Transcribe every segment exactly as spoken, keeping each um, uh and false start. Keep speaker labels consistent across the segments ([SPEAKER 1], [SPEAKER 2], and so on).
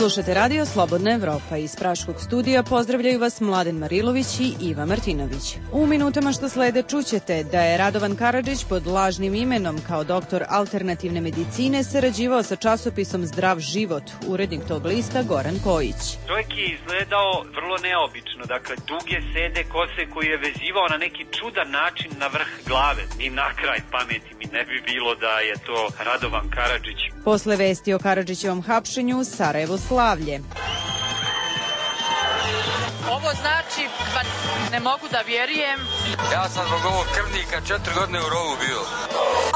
[SPEAKER 1] Slušate radio Slobodna Evropa. Iz Praškog studija pozdravljaju vas Mladen Marilović i Iva Martinović. U minutama što slede čućete da je Radovan Karadžić pod lažnim imenom kao doktor alternativne medicine sarađivao sa časopisom Zdrav život. Urednik tog lista Goran Kojić.
[SPEAKER 2] Čovjek je izgledao vrlo neobično, dakle duge sede kose koji je vezivao na neki čudan način na vrh glave. Ni na kraj pameti mi ne bi bilo da je to Radovan Karadžić.
[SPEAKER 1] Posle vesti o Karadžićevom hapšenju, Sarajevo slavlje.
[SPEAKER 3] Ovo znači, pa ne mogu da vjerujem.
[SPEAKER 4] Ja sam zbog ovog krvnika četiri godine u rovu bio.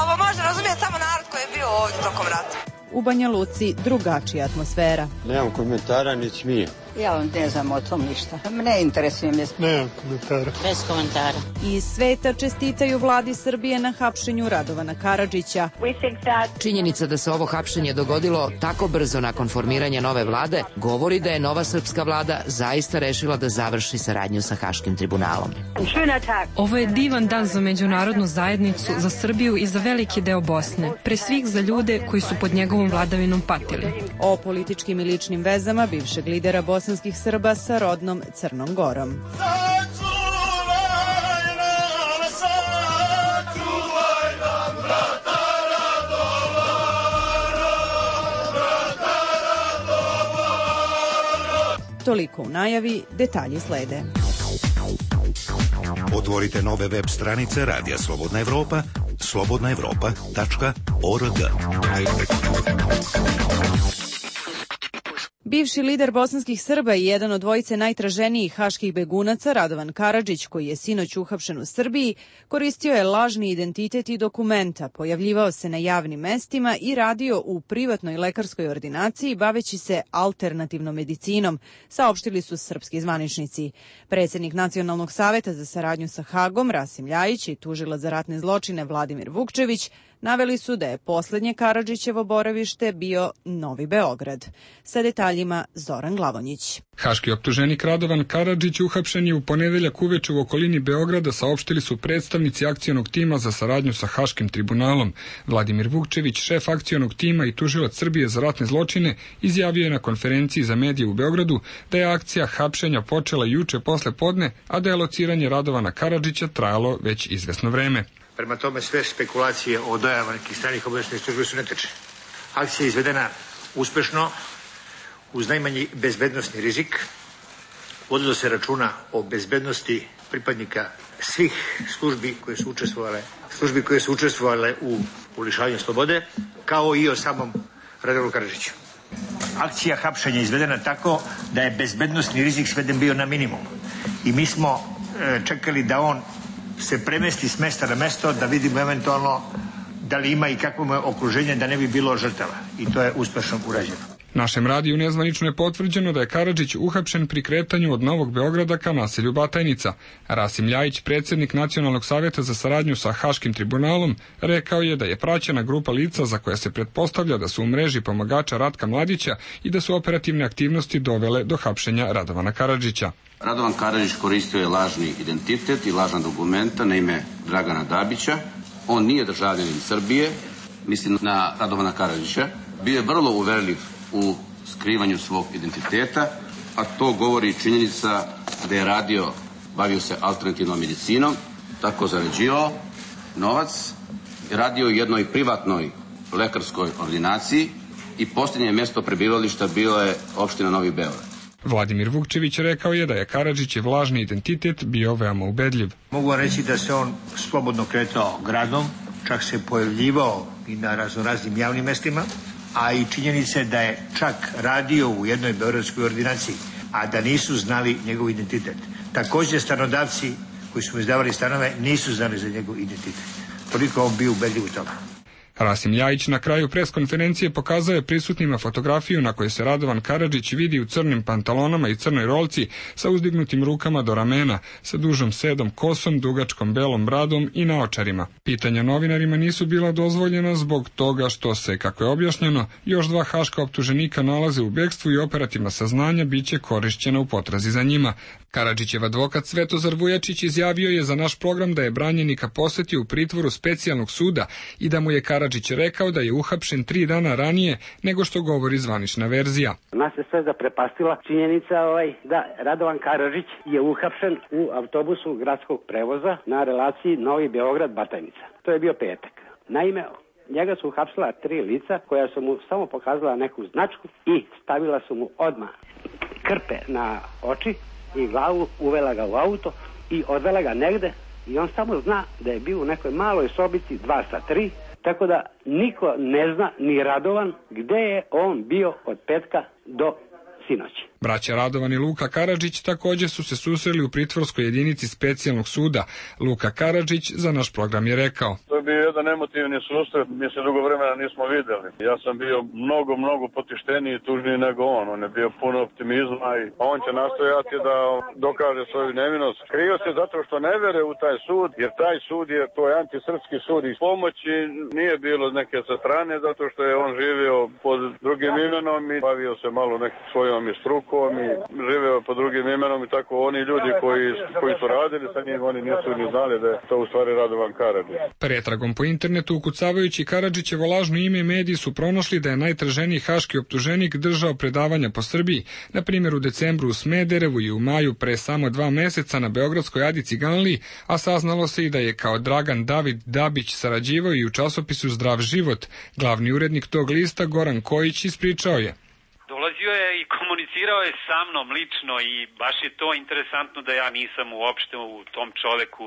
[SPEAKER 5] Ovo može razumjeti samo narod koji je bio ovdje tokom rata.
[SPEAKER 1] U Banja Luci drugačija atmosfera.
[SPEAKER 6] Nemam komentara, ni smije.
[SPEAKER 7] Ja vam ne znam o tom ništa. Ne interesuje me.
[SPEAKER 6] Nemam komentara.
[SPEAKER 7] Bez komentara.
[SPEAKER 1] Iz sveta čestitaju vladi Srbije na hapšenju Radovana Karadžića.
[SPEAKER 8] Činjenica da se ovo hapšenje dogodilo tako brzo nakon formiranja nove vlade govori da je nova srpska vlada zaista rešila da završi saradnju sa Haškim tribunalom.
[SPEAKER 9] Ovo je divan dan za međunarodnu zajednicu, za Srbiju i za veliki deo Bosne. Pre svih za ljude koji su pod njegovom vladavinom patili.
[SPEAKER 1] O političkim i ličnim vezama bivšeg lidera bosanskih Srba sa rodnom Crnom Gorom. Toliko u najavi, detalji slede.
[SPEAKER 10] Otvorite nove web stranice Radija Slobodna Evropa, slobodna evropa tačka org.
[SPEAKER 1] Bivši lider bosanskih Srba i jedan od dvojice najtraženijih haških begunaca, Radovan Karadžić, koji je sinoć uhapšen u Srbiji, koristio je lažni identitet i dokumenta, pojavljivao se na javnim mestima i radio u privatnoj lekarskoj ordinaciji baveći se alternativnom medicinom, saopštili su srpski zvaničnici. Predsjednik Nacionalnog saveta za saradnju sa Hagom, Rasim Ljajić, i tužilac za ratne zločine Vladimir Vukčević naveli su da je poslednje Karadžićevo boravište bio Novi Beograd. Sa detaljima Zoran Glavonjić.
[SPEAKER 11] Haški optuženik Radovan Karadžić uhapšen je u ponedeljak uveče u okolini Beograda, saopštili su predstavnici akcionog tima za saradnju sa Haškim tribunalom. Vladimir Vukčević, šef akcionog tima i tužilac Srbije za ratne zločine, izjavio je na konferenciji za medije u Beogradu da je akcija hapšenja počela juče posle podne, a da je lociranje Radovana Karadžića trajalo već izvesno vreme.
[SPEAKER 12] Prema tome sve spekulacije o dojavama nekih stranih obaveštajnih službi su netačne. Akcija je izvedena uspešno, uz najmanji bezbednosni rizik. Vodilo se računa o bezbednosti pripadnika svih službi koje su učestvovale, službi koje su učestvovale u lišavanju slobode, kao i o samom Radovanu Karadžiću. Akcija hapšenja je izvedena tako da je bezbednosni rizik sveden bio na minimum. I mi smo e, čekali da on se premesti s mesta na mesto, da vidimo eventualno da li ima i kakvo je okruženje, da ne bi bilo žrtava. I to je uspešno urađeno.
[SPEAKER 11] Našem radiju nezvanično je potvrđeno da je Karadžić uhapšen pri kretanju od Novog Beograda ka naselju Batajnica. Rasim Ljajić, predsjednik Nacionalnog saveta za saradnju sa Haškim tribunalom, rekao je da je praćena grupa lica za koja se pretpostavlja da su u mreži pomagača Ratka Mladića i da su operativne aktivnosti dovele do hapšenja Radovana Karadžića.
[SPEAKER 13] Radovan Karadžić koristio je lažni identitet i lažna dokumenta na ime Dragana Dabića. On nije državljanin Srbije, mislim na Radovana Karadžića. Bio je vrlo uverljiv u skrivanju svog identiteta, a to govori činjenica da je radio, bavio se alternativnom medicinom, tako zarađivao novac, radio u jednoj privatnoj lekarskoj ordinaciji i posljednje mjesto prebivališta bilo je opština Novi Beograd.
[SPEAKER 11] Vladimir Vukčević rekao je da je Karadžićev lažni identitet bio veoma ubedljiv.
[SPEAKER 12] Mogu reći da se on slobodno kretao gradom, čak se pojavljivao i na raznoraznim javnim mestima, a i činjenice da je čak radio u jednoj beogradskoj ordinaciji, a da nisu znali njegov identitet. Također stanodavci koji su mu izdavali stanove nisu znali za njegov identitet. Toliko on bio ubedljiv u tome.
[SPEAKER 11] Rasim Ljajić na kraju preskonferencije pokazao je prisutnima fotografiju na kojoj se Radovan Karadžić vidi u crnim pantalonama i crnoj rolci sa uzdignutim rukama do ramena, sa dužom sedom kosom, dugačkom belom bradom i naočarima. Pitanja novinarima nisu bila dozvoljena zbog toga što se, kako je objašnjeno, još dva haška optuženika nalaze u bekstvu i operativna saznanja biće korišćena u potrazi za njima. Karadžićev advokat Svetozar Vujačić izjavio je za naš program da je branjenika posetio u pritvoru specijalnog suda i da mu je Karadžić Karadžić rekao da je uhapšen tri dana ranije nego što govori zvanična verzija.
[SPEAKER 14] Nas je sve zaprepastila činjenica ovaj, da Radovan Karadžić je uhapšen u autobusu gradskog prevoza na relaciji Novi Beograd-Batajnica. To je bio petak. Naime, njega su uhapsila tri lica koja su mu samo pokazala neku značku i stavila su mu odmah krpe na oči i glavu, uvela ga u auto i odvela ga negde i on samo zna da je bio u nekoj maloj sobici dva sa tri, tako da niko ne zna, ni Radovan, gde je on bio od petka do sinoći.
[SPEAKER 11] Braća Radovan i Luka Karadžić također su se susreli u pritvorskoj jedinici specijalnog suda. Luka Karadžić za naš program je rekao:
[SPEAKER 15] To je bio jedan emotivni susret, mi se dugo vremena nismo vidjeli. Ja sam bio mnogo, mnogo potišteniji i tužniji nego on. On je bio puno optimizma i on će nastojati da dokaže svoju nevinost. Krio se zato što ne vere u taj sud, jer taj sud je, to je antisrpski sud i pomoći nije bilo neke sa strane, zato što je on živio pod drugim imenom i bavio se malo nekim svojom i strukom i živeo pod drugim imenom i tako oni ljudi koji, koji su radili sa njim, oni nisu ni znali da je to u stvari Radovan Karadžić.
[SPEAKER 11] Pretragom po internetu ukucavajući Karadžićevo lažno ime, mediji su pronašli da je najtraženiji haški optuženik držao predavanja po Srbiji, na primjer u decembru u Smederevu i u maju pre samo dva meseca na beogradskoj Adi Ciganliji, a saznalo se i da je kao Dragan David Dabić sarađivao i u časopisu Zdrav život. Glavni urednik tog lista Goran Kojić ispričao je:
[SPEAKER 2] Dolazio je i komunicirao je sa mnom lično i baš je to interesantno da ja nisam uopšte u tom čoveku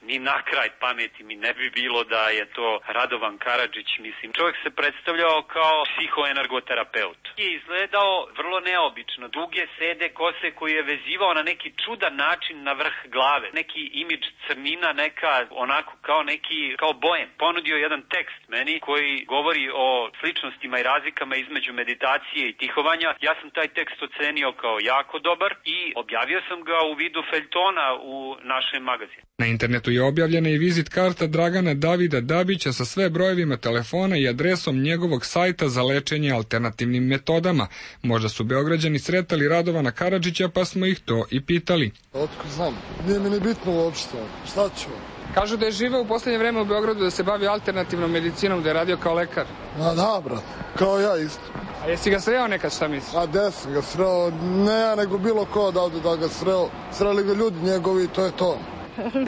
[SPEAKER 2] ni na kraj pameti mi ne bi bilo da je to Radovan Karadžić. Mislim, čovjek se predstavljao kao psihoenergoterapeut. Je izgledao vrlo neobično. Duge sede kose koji je vezivao na neki čudan način na vrh glave. Neki imidž crnina, neka onako kao neki, kao bojem. Ponudio jedan tekst meni koji govori o sličnostima i razlikama između meditacije i tihovanja. Ja sam taj tekst ocenio kao jako dobar i objavio sam ga u vidu feljtona u našem magazinu.
[SPEAKER 11] Na internetu je objavljena i vizit karta Dragana Davida Dabića sa sve brojevima telefona i adresom njegovog sajta za lečenje alternativnim metodama. Možda su Beograđani sretali Radovana Karadžića pa smo ih to i pitali.
[SPEAKER 16] Otko znam, nije mi ni bitno uopšte, šta ću?
[SPEAKER 17] Kažu da je živeo u posljednje vreme u Beogradu, da se bavi alternativnom medicinom, da je radio kao lekar.
[SPEAKER 16] A da, brat, kao ja isto.
[SPEAKER 17] A jesi ga sreo nekad, šta misliš?
[SPEAKER 16] A gde sam ga sreo, ne ja, nego bilo ko da ovde da ga sreo. Sreli ga ljudi njegovi, to je to.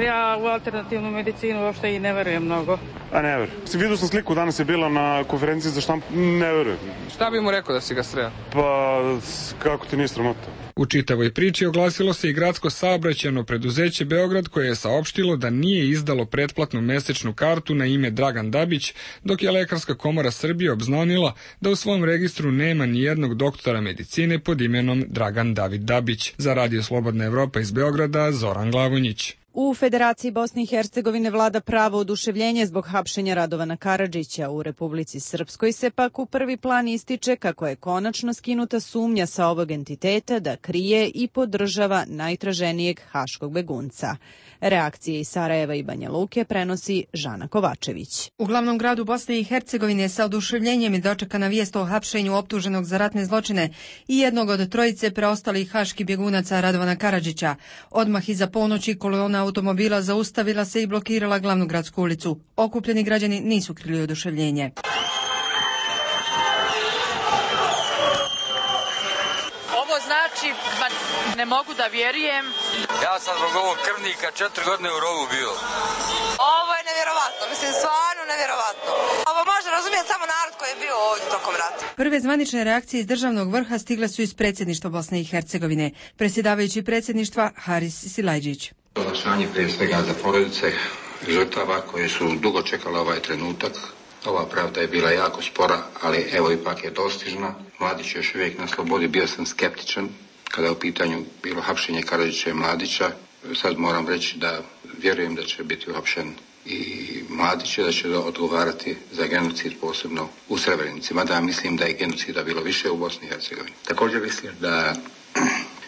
[SPEAKER 18] Ja u alternativnu medicinu uopšte i ne verujem mnogo.
[SPEAKER 19] A ne verujem. Vidio sam sliku, danas je bila na konferenciji za štampu, ne verujem.
[SPEAKER 17] Šta bi mu rekao da si ga sreo?
[SPEAKER 19] Pa, kako ti nije sramota?
[SPEAKER 11] U čitavoj priči oglasilo se i gradsko saobraćajno preduzeće Beograd koje je saopštilo da nije izdalo pretplatnu mesečnu kartu na ime Dragan Dabić, dok je Lekarska komora Srbije obznanila da u svom registru nema ni jednog doktora medicine pod imenom Dragan David Dabić. Za Radio Slobodna Evropa iz Beograda, Zoran Glavonjić.
[SPEAKER 1] U Federaciji Bosne i Hercegovine vlada pravo oduševljenje zbog hapšenja Radovana Karadžića. U Republici Srpskoj se pak u prvi plan ističe kako je konačno skinuta sumnja sa ovog entiteta da krije i podržava najtraženijeg haškog begunca. Reakcije iz Sarajeva i Banja Luke prenosi Žana Kovačević.
[SPEAKER 20] U glavnom gradu Bosne i Hercegovine sa oduševljenjem je dočekana vijest o hapšenju optuženog za ratne zločine i jednog od trojice preostalih haških bjegunaca Radovana Karadžića. Odmah iza ponoći kolona automobila zaustavila se i blokirala glavnu gradsku ulicu. Okupljeni građani nisu krili oduševljenje.
[SPEAKER 3] Ovo znači, ne mogu da vjerujem.
[SPEAKER 4] Ja sam zbog ovog krvnika četiri godine u rovu bio.
[SPEAKER 5] Ovo je nevjerovatno, mislim, stvarno nevjerovatno. Ovo može razumjeti samo narod koji je bio ovdje tokom rata.
[SPEAKER 20] Prve zvanične reakcije iz državnog vrha stigle su iz predsjedništva Bosne i Hercegovine. Predsjedavajući predsjedništva Haris Silajđić.
[SPEAKER 21] Olakšanje prije svega za porodice žrtava koje su dugo čekale ovaj trenutak. Ova pravda je bila jako spora, ali evo ipak je dostižna. Mladić je još uvijek na slobodi, bio sam skeptičan kada je u pitanju bilo hapšenje Karadžića i Mladića. Sad moram reći da vjerujem da će biti uhapšen i Mladić, da će odgovarati za genocid posebno u Srebrenici. Mada mislim da je genocida bilo više u Bosni i Hercegovini. Također mislim da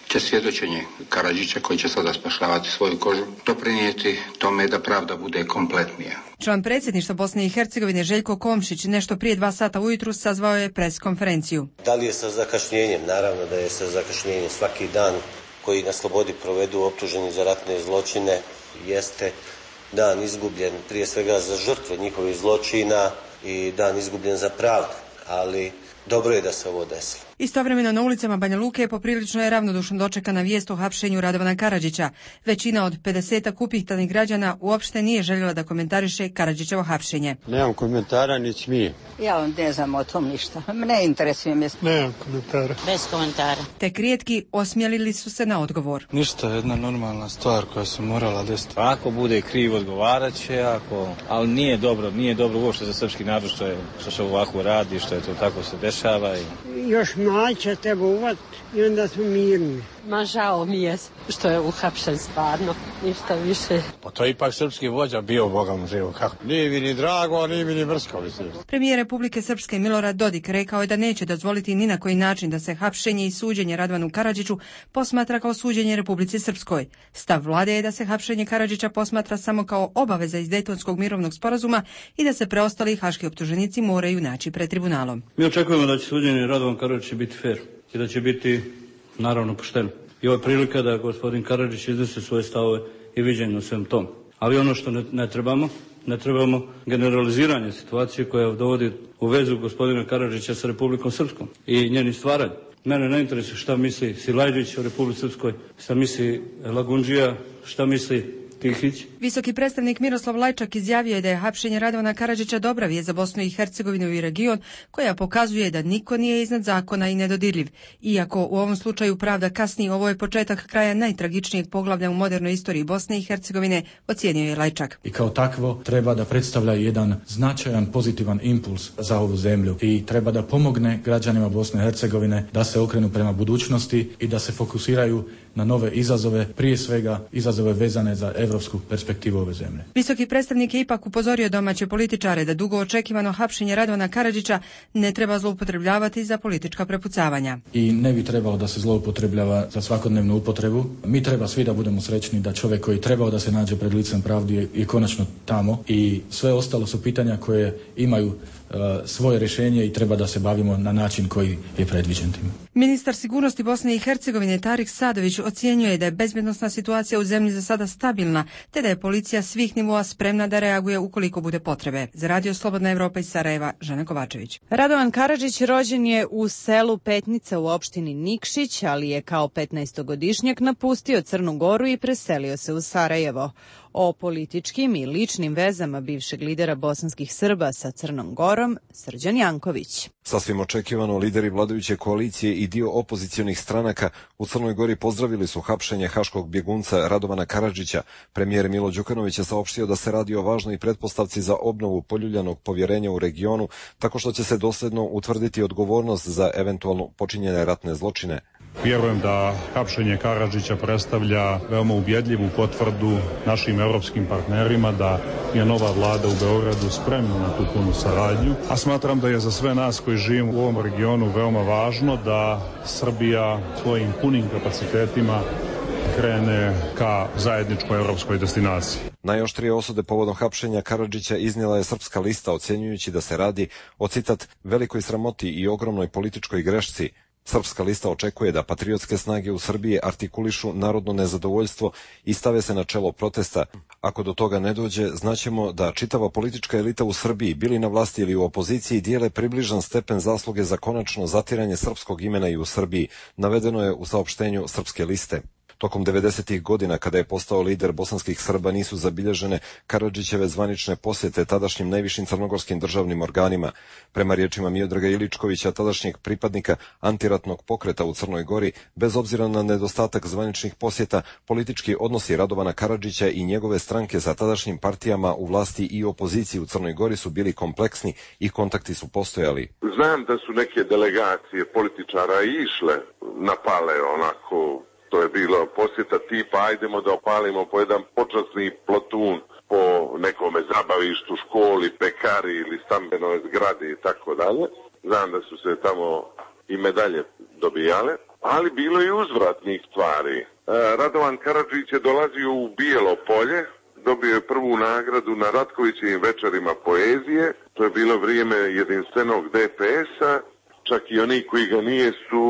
[SPEAKER 21] će svjedočenje Karadžića, koji će sada spašavati svoju kožu, doprinijeti tome da pravda bude kompletnija.
[SPEAKER 20] Član predsjedništva Bosne i Hercegovine Željko Komšić nešto prije dva sata ujutru sazvao je pres konferenciju.
[SPEAKER 22] Da li je sa zakašnjenjem? Naravno da je sa zakašnjenjem. Svaki dan koji na slobodi provedu optuženi za ratne zločine jeste dan izgubljen prije svega za žrtve njihovih zločina, i dan izgubljen za pravdu, ali dobro je da se ovo desilo.
[SPEAKER 20] Istovremeno na ulicama Banja Luke poprilično je ravnodušno dočekana vijest o hapšenju Radovana Karadžića. Većina od pedesetak upitanih građana uopšte nije željela da komentariše Karadžićevo hapšenje.
[SPEAKER 6] Nemam komentara, ni smije.
[SPEAKER 7] Ja vam ne znam o tom ništa. Ne interesuje me.
[SPEAKER 6] Nemam komentara.
[SPEAKER 7] Bez komentara.
[SPEAKER 20] Tek rijetki osmjelili su se na odgovor.
[SPEAKER 6] Ništa, jedna normalna stvar koja se morala desiti.
[SPEAKER 23] Ako bude kriv, odgovarat će, ako... ali nije dobro, nije dobro uopšte za srpski narod što, je, što se ovako radi, što je to tako se dešava. I...
[SPEAKER 24] Još mlađe treba uvat i onda smo mirni.
[SPEAKER 25] Ma žao mi je što je uhapšen stvarno, ništa više.
[SPEAKER 6] Pa to je ipak srpski vođa bio, Boga mu živo. Kako? Nije mi ni drago, nije mi ni mrsko.
[SPEAKER 20] Premijer Republike Srpske Milorad Dodik rekao je da neće dozvoliti ni na koji način da se hapšenje i suđenje Radovanu Karadžiću posmatra kao suđenje Republici Srpskoj. Stav vlade je da se hapšenje Karadžića posmatra samo kao obaveza iz Dejtonskog mirovnog sporazuma i da se preostali haški optuženici moraju naći pred tribunalom.
[SPEAKER 26] Mi očekujemo da će suđenje Radovan Karadžić biti fair i da će biti naravno pošteno. I ovo je prilika da gospodin Karadžić iznese svoje stavove i viđenje o svem tom. Ali ono što ne, ne trebamo, ne trebamo generaliziranje situacije koja dovodi u vezu gospodina Karadžića sa Republikom Srpskom i njeni stvaranje. Mene ne interesuje šta misli Silajđić o Republici Srpskoj, šta misli Lagundžija, šta misli Tihić.
[SPEAKER 20] Visoki predstavnik Miroslav Lajčak izjavio je da je hapšenje Radovana Karadžića dobra vijest za Bosnu i Hercegovinu i region, koja pokazuje da niko nije iznad zakona i nedodirljiv. Iako u ovom slučaju pravda kasni, ovo je početak kraja najtragičnijeg poglavlja u modernoj istoriji Bosne i Hercegovine, ocijenio je Lajčak.
[SPEAKER 27] I kao takvo treba da predstavlja jedan značajan pozitivan impuls za ovu zemlju i treba da pomogne građanima Bosne i Hercegovine da se okrenu prema budućnosti i da se fokusiraju na nove izazove, prije svega izazove vezane za evropsku perspektivu ove zemlje.
[SPEAKER 20] Visoki predstavnik je ipak upozorio domaće političare da dugo očekivano hapšenje Radovana Karadžića ne treba zloupotrebljavati za politička prepucavanja.
[SPEAKER 27] I ne bi trebalo da se zloupotrebljava za svakodnevnu upotrebu. Mi treba svi da budemo srećni da čovjek koji trebao da se nađe pred licem pravdi je, je konačno tamo i sve ostalo su pitanja koje imaju uh, svoje rješenje i treba da se bavimo na način koji je predviđen tim.
[SPEAKER 20] Ministar sigurnosti Bosne i Hercegovine Tarik Sadović ocjenjuje da je bezbednosna situacija u zemlji za sada stabilna, te da je policija svih nivoa spremna da reaguje ukoliko bude potrebe. Za Radio Slobodna Evropa iz Sarajeva, Žana Kovačević.
[SPEAKER 1] Radovan Karadžić rođen je u selu Petnica u opštini Nikšić, ali je kao petnaestogodišnjak napustio Crnu Goru i preselio se u Sarajevo. O političkim i ličnim vezama bivšeg lidera bosanskih Srba sa Crnom Gorom, Srđan Janković.
[SPEAKER 28] Sasvim očekivano, lideri vladajuće koalicije i dio opozicionih stranaka u Crnoj Gori pozdravili su hapšenje haškog bjegunca Radovana Karadžića. Premijer Milo Đukanović je saopštio da se radi o važnoj pretpostavci za obnovu poljuljanog povjerenja u regionu, tako što će se dosljedno utvrditi odgovornost za eventualno počinjene ratne zločine.
[SPEAKER 29] Vjerujem da hapšenje Karadžića predstavlja veoma ubjedljivu potvrdu našim europskim partnerima da je nova vlada u Beogradu spremna na tu punu saradnju, a smatram da je za sve nas koji živimo u ovom regionu veoma važno da Srbija svojim punim kapacitetima krene ka zajedničkoj europskoj destinaciji.
[SPEAKER 28] Najoštrije osude povodom hapšenja Karadžića iznijela je Srpska lista, ocjenjujući da se radi o, citat, velikoj sramoti i ogromnoj političkoj grešci. Srpska lista očekuje da patriotske snage u Srbiji artikulišu narodno nezadovoljstvo i stave se na čelo protesta. Ako do toga ne dođe, znaćemo da čitava politička elita u Srbiji, bili na vlasti ili u opoziciji, dijele približan stepen zasluge za konačno zatiranje srpskog imena i u Srbiji, navedeno je u saopštenju Srpske liste. Tokom devedesetih godina, kada je postao lider bosanskih Srba, nisu zabilježene Karadžićeve zvanične posjete tadašnjim najvišim crnogorskim državnim organima. Prema riječima Miodraga Iličkovića, tadašnjeg pripadnika antiratnog pokreta u Crnoj Gori, bez obzira na nedostatak zvaničnih posjeta, politički odnosi Radovana Karadžića i njegove stranke sa tadašnjim partijama u vlasti i opoziciji u Crnoj Gori su bili kompleksni i kontakti su postojali.
[SPEAKER 30] Znam da su neke delegacije političara išle na pale onako. To je bilo posjeta tipa ajdemo da opalimo po jedan počasni plotun po nekome zabavištu, školi, pekari ili stambenoj zgradi i tako dalje. Znam da su se tamo i medalje dobijale, ali bilo je uzvratnih stvari. Radovan Karadžić je dolazio u Bijelo Polje, dobio je prvu nagradu na Ratkovićevim večerima poezije. To je bilo vrijeme jedinstvenog de pe es-a, čak i oni koji ga nije su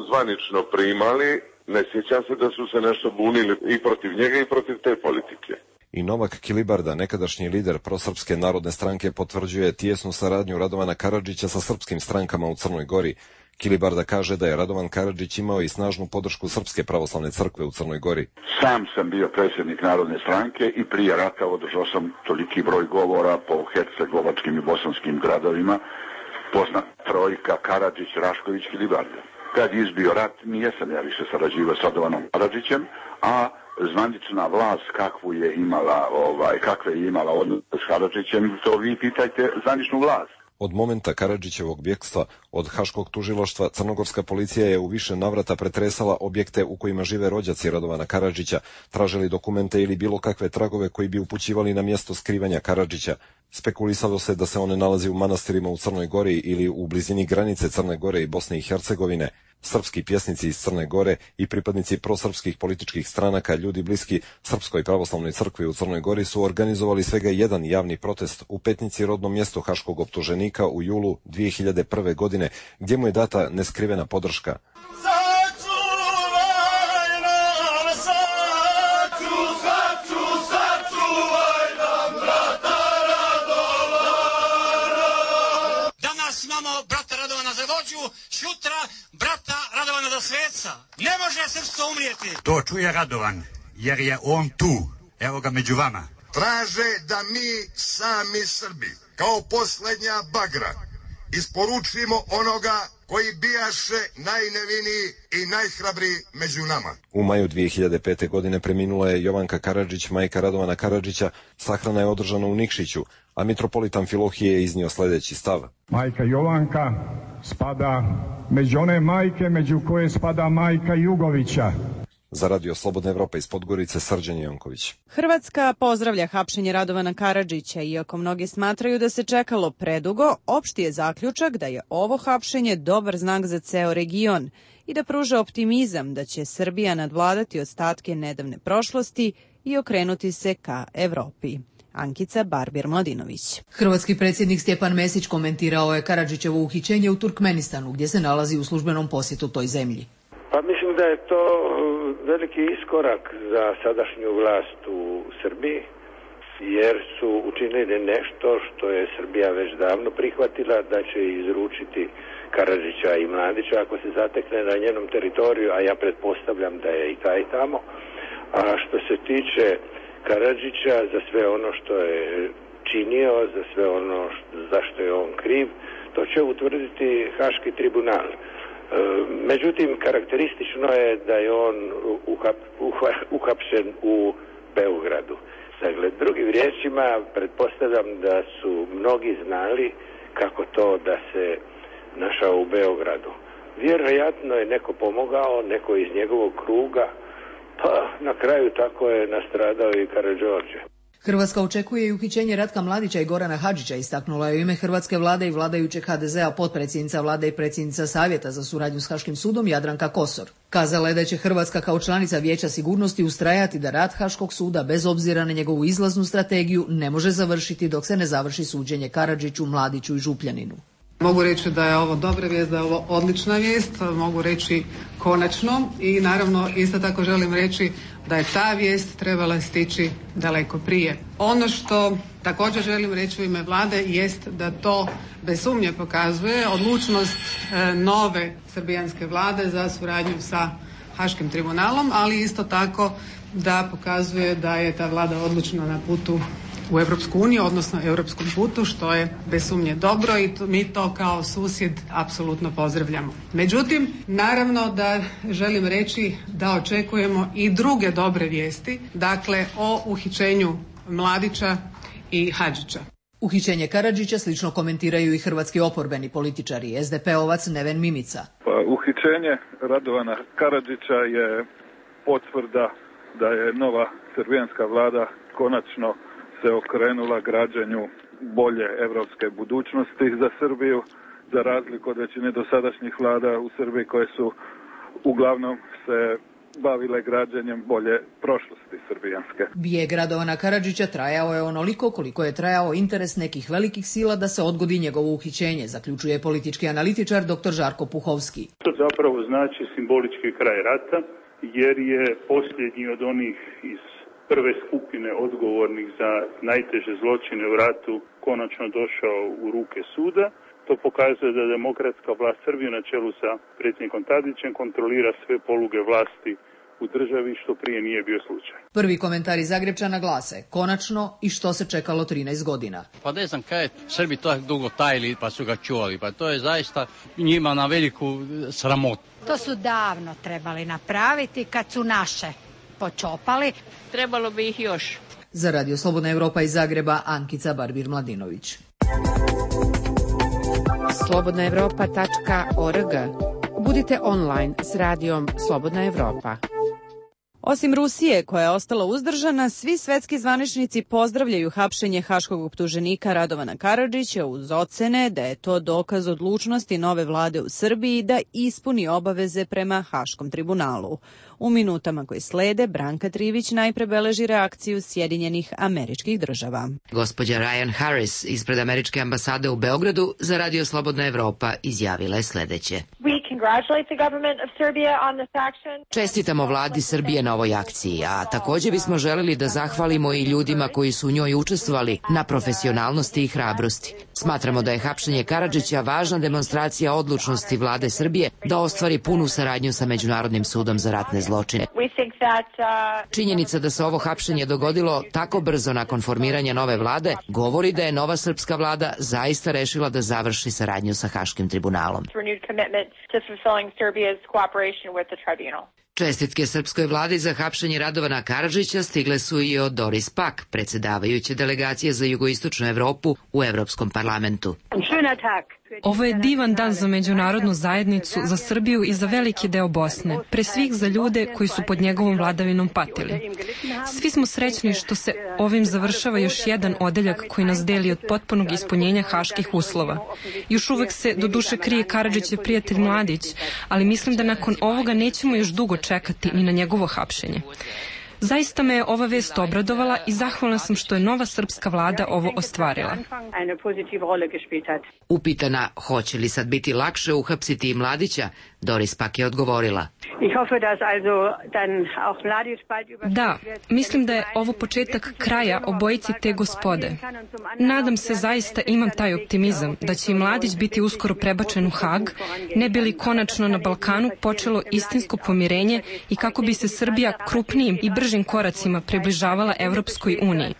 [SPEAKER 30] zvanično primali. Ne sjećam se da su se nešto bunili i protiv njega i protiv te politike.
[SPEAKER 28] I Novak Kilibarda, nekadašnji lider prosrpske narodne stranke, potvrđuje tijesnu saradnju Radovana Karadžića sa srpskim strankama u Crnoj Gori. Kilibarda kaže da je Radovan Karadžić imao i snažnu podršku Srpske pravoslavne crkve u Crnoj Gori.
[SPEAKER 2] Sam sam bio predsjednik Narodne stranke i prije rata održao sam toliki broj govora po hercegovačkim i bosanskim gradovima. Poznat trojka Karadžić, Rašković, Kilibarda. Kad je izbio rat, nijesam ja više sarađivao s Radovanom Karadžićem, a zvanična vlast kakvu je imala, ovaj, kakve je imala odnos s Karadžićem, to vi pitajte zvaničnu vlast.
[SPEAKER 28] Od momenta Karadžićevog bjegstva od Haškog tužilaštva, crnogorska policija je u više navrata pretresala objekte u kojima žive rođaci Radovana Karadžića, tražili dokumente ili bilo kakve tragove koji bi upućivali na mjesto skrivanja Karadžića. Spekulisalo se da se one nalazi u manastirima u Crnoj Gori ili u blizini granice Crne Gore i Bosne i Hercegovine. Srpski pjesnici iz Crne Gore i pripadnici prosrpskih političkih stranaka, ljudi bliski Srpskoj pravoslavnoj crkvi u Crnoj Gori, su organizovali svega jedan javni protest u Petnici, rodnom mjestu haškog optuženika, u julu dvije hiljade prve. godine, gdje mu je data neskrivena podrška.
[SPEAKER 8] Sutra brata Radovana za sveca. Ne može srpstvo umrijeti.
[SPEAKER 9] To čuje Radovan, jer je on tu. Evo ga među vama.
[SPEAKER 10] Traže da mi sami Srbi, kao posljednja bagra, isporučimo onoga koji bijaše najneviniji i najhrabriji među nama.
[SPEAKER 28] U maju dvije hiljade pete. godine preminula je Jovanka Karadžić, majka Radovana Karadžića. Sahrana je održana u Nikšiću, a mitropolit Amfilohije je iznio sljedeći stav.
[SPEAKER 12] Majka Jovanka spada među one majke među koje spada majka Jugovića.
[SPEAKER 28] Za Radio Slobodna Evropa iz Podgorice, Srđan Janković.
[SPEAKER 1] Hrvatska pozdravlja hapšenje Radovana Karadžića, iako mnogi smatraju da se čekalo predugo. Opšti je zaključak da je ovo hapšenje dobar znak za ceo region i da pruža optimizam da će Srbija nadvladati ostatke nedavne prošlosti i okrenuti se ka Evropi. Ankica Barbir-Mladinović.
[SPEAKER 13] Hrvatski predsjednik Stjepan Mesić komentirao je Karadžićevo uhićenje u Turkmenistanu, gdje se nalazi u službenom posjetu toj zemlji.
[SPEAKER 14] Pa mislim da je to veliki iskorak za sadašnju vlast u Srbiji, jer su učinili nešto što je Srbija već davno prihvatila, da će izručiti Karadžića i Mladića ako se zatekne na njenom teritoriju, a ja pretpostavljam da je i taj tamo. A što se tiče Karadžića, za sve ono što je činio, za sve ono za što je on kriv, to će utvrditi Haški tribunal. Međutim, karakteristično je da je on uhap, uhap, uhapšen u Beogradu. Dakle, drugim riječima, pretpostavljam da su mnogi znali kako to da se našao u Beogradu. Vjerojatno je neko pomogao, neko iz njegovog kruga, pa na kraju tako je nastradao i Karađorđe.
[SPEAKER 13] Hrvatska očekuje i uhićenje Ratka Mladića i Gorana Hadžića, istaknula je u ime hrvatske vlade i vladajućeg ha de zea potpredsjednica vlade i predsjednica Savjeta za suradnju s Haškim sudom Jadranka Kosor. Kazala je da će Hrvatska kao članica Vijeća sigurnosti ustrajati da rad Haškog suda, bez obzira na njegovu izlaznu strategiju, ne može završiti dok se ne završi suđenje Karadžiću, Mladiću i Župljaninu.
[SPEAKER 15] Mogu reći da je ovo dobra vijest, da je ovo odlična vijest, mogu reći konačno i naravno isto tako želim reći da je ta vijest trebala stići daleko prije. Ono što također želim reći u ime vlade jest da to bez sumnje pokazuje odlučnost e, nove srbijanske vlade za suradnju sa Haškim tribunalom, ali isto tako da pokazuje da je ta vlada odlučna na putu u Europsku uniju, odnosno europskom putu, što je bez sumnje dobro i to, mi to kao susjed apsolutno pozdravljamo. Međutim, naravno da želim reći da očekujemo i druge dobre vijesti, dakle o uhićenju Mladića i Hadžića.
[SPEAKER 13] Uhićenje Karadžića slično komentiraju i hrvatski oporbeni političari. es de pe-ovac Neven Mimica.
[SPEAKER 16] Pa, uhićenje Radovana Karadžića je potvrda da je nova srbijanska vlada konačno se okrenula građenju bolje evropske budućnosti za Srbiju, za razliku od većine dosadašnjih vlada u Srbiji koje su uglavnom se bavile građenjem bolje prošlosti srbijanske.
[SPEAKER 13] Bijeg Radovana Karadžića trajao je onoliko koliko je trajao interes nekih velikih sila da se odgodi njegovo uhićenje, zaključuje politički analitičar dr. Žarko Puhovski.
[SPEAKER 18] To zapravo znači simbolički kraj rata, jer je posljednji od onih iz
[SPEAKER 16] prve skupine odgovornih za najteže zločine u ratu konačno došao u ruke suda. To pokazuje da demokratska vlast Srbije na čelu sa predsjednikom Tadićem kontrolira sve poluge vlasti u državi, što prije nije bio slučaj.
[SPEAKER 13] Prvi komentar iz Zagrebčana glase: konačno, i što se čekalo trinaest godina.
[SPEAKER 3] Pa ne znam kaj Srbi to dugo tajili pa su ga čuvali, pa to je zaista njima na veliku sramotu.
[SPEAKER 4] To su davno trebali napraviti kad su naše počopali.
[SPEAKER 25] Trebalo bi ih još.
[SPEAKER 13] Za Radio Slobodna Evropa iz Zagreba, Ankica Barbir-Mladinović.
[SPEAKER 5] slobodna evropa tačka org. Budite online s radijom Slobodna Evropa.
[SPEAKER 1] Osim Rusije, koja je ostala uzdržana, svi svetski zvaničnici pozdravljaju hapšenje haškog optuženika Radovana Karadžića uz ocene da je to dokaz odlučnosti nove vlade u Srbiji da ispuni obaveze prema Haškom tribunalu. U minutama koje slede, Branka Trivić najpre beleži reakciju Sjedinjenih Američkih Država.
[SPEAKER 7] Gospođa Ryan Harris ispred Američke ambasade u Beogradu za Radio Slobodna Evropa izjavila je sledeće. Čestitamo vladi Srbije na ovoj akciji, a takođe bismo želeli da zahvalimo i ljudima koji su u njoj učestvovali na profesionalnosti i hrabrosti. Smatramo da je hapšenje Karadžića važna demonstracija odlučnosti vlade Srbije da ostvari punu saradnju sa Međunarodnim sudom za ratne zločine. Činjenica da se ovo hapšenje dogodilo tako brzo nakon formiranja nove vlade govori da je nova srpska vlada zaista rešila da završi saradnju sa Haškim tribunalom. Čestitke srpskoj vladi za hapšenje Radovana Karadžića stigle su i od Doris Pack, predsedavajuće delegacije za jugoistočnu Evropu u Evropskom parlamentu.
[SPEAKER 11] Ovo je divan dan za međunarodnu zajednicu, za Srbiju i za veliki deo Bosne, pre svih za ljude koji su pod njegovom vladavinom patili. Svi smo srećni što se ovim završava još jedan odeljak koji nas deli od potpunog ispunjenja haških uslova. Još uvek se do duše krije Karadžićev prijatelj Mladić, ali mislim da nakon ovoga nećemo još dugo čekati ni na njegovo hapšenje. Zaista me je ova vest obradovala i zahvalna sam što je nova srpska vlada ovo ostvarila.
[SPEAKER 7] Upitana hoće li sad biti lakše uhapsiti i Mladića, Doris Pack je odgovorila.
[SPEAKER 11] Da, mislim da je ovo početak kraja obojici te gospode. Nadam se, zaista imam taj optimizam, da će i Mladić biti uskoro prebačen u Hag, ne bi li konačno na Balkanu počelo istinsko pomirenje i kako bi se Srbija krupnijim i bržim koracima približavala Evropskoj uniji.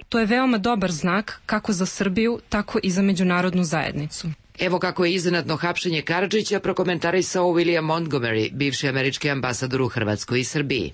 [SPEAKER 11] To je veoma dobar znak kako za Srbiju, tako i za međunarodnu zajednicu.
[SPEAKER 7] Evo kako je iznenadno hapšenje Karadžića prokomentarisao William Montgomery, bivši američki ambasador u Hrvatskoj i Srbiji.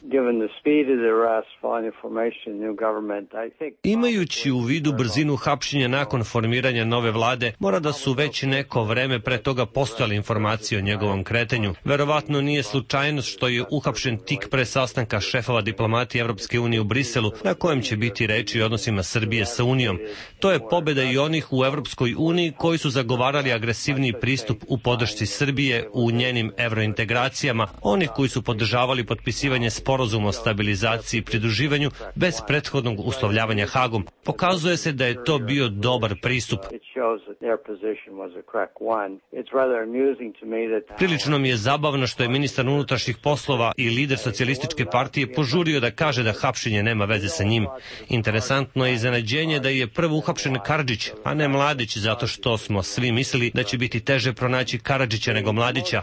[SPEAKER 17] Imajući u vidu brzinu hapšenja nakon formiranja nove vlade, mora da su već neko vreme pre toga postojale informacije o njegovom kretanju. Verovatno nije slučajnost što je uhapšen tik pre sastanka šefova diplomatije Evropske unije u Briselu, na kojem će biti reči o odnosima Srbije sa Unijom. To je pobeda i onih u Evropskoj uniji koji su zagovarali agresivniji pristup u podršci Srbije u njenim evrointegracijama, oni koji su podržavali potpisivanje sporazuma o stabilizaciji i pridruživanju bez prethodnog uslovljavanja Hagom. Pokazuje se da je to bio dobar pristup. Prilično mi je zabavno što je ministar unutrašnjih poslova i lider socijalističke partije požurio da kaže da hapšenje nema veze sa njim. Interesantno je iznenađenje da je prvo uhapšen Karadžić, a ne Mladić, zato što smo svi mislili da će biti teže pronaći Karadžića nego Mladića.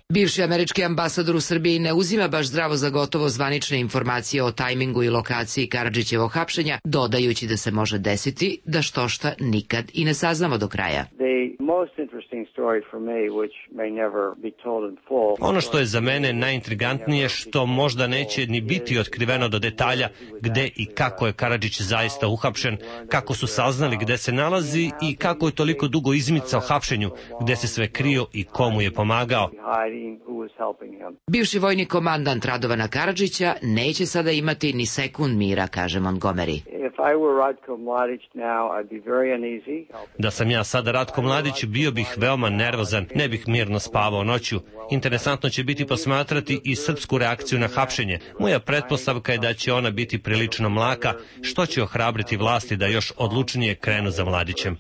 [SPEAKER 7] Bivši američki ambasador u Srbiji ne uzima baš zdravo za gotovo zvanične informacije o tajmingu i lokaciji Karadžićevog hapšenja, dodajući da se može desiti da štošta nikad i ne saznamo do kraja.
[SPEAKER 17] Ono što je za mene najintrigantnije, što možda neće ni biti otkriveno do detalja, gde i kako je Karadžić zaista uhapšen, kako su saznali gde se nalazi i kako je toliko dugo izmicao hapšenju, gde se sve krio i komu je pomagao.
[SPEAKER 7] Bivši vojni komandant Radovana Karadžića neće sada imati ni sekund mira, kaže Montgomery.
[SPEAKER 17] Da sam ja sada Ratko Mladić, bio bih veoma nervozan, ne bih mirno spavao noću. Interesantno će biti posmatrati i srpsku reakciju na hapšenje. Moja pretpostavka je da će ona biti prilično mlaka, što će ohrabriti vlasti da još odlučnije krenu za Mladićem.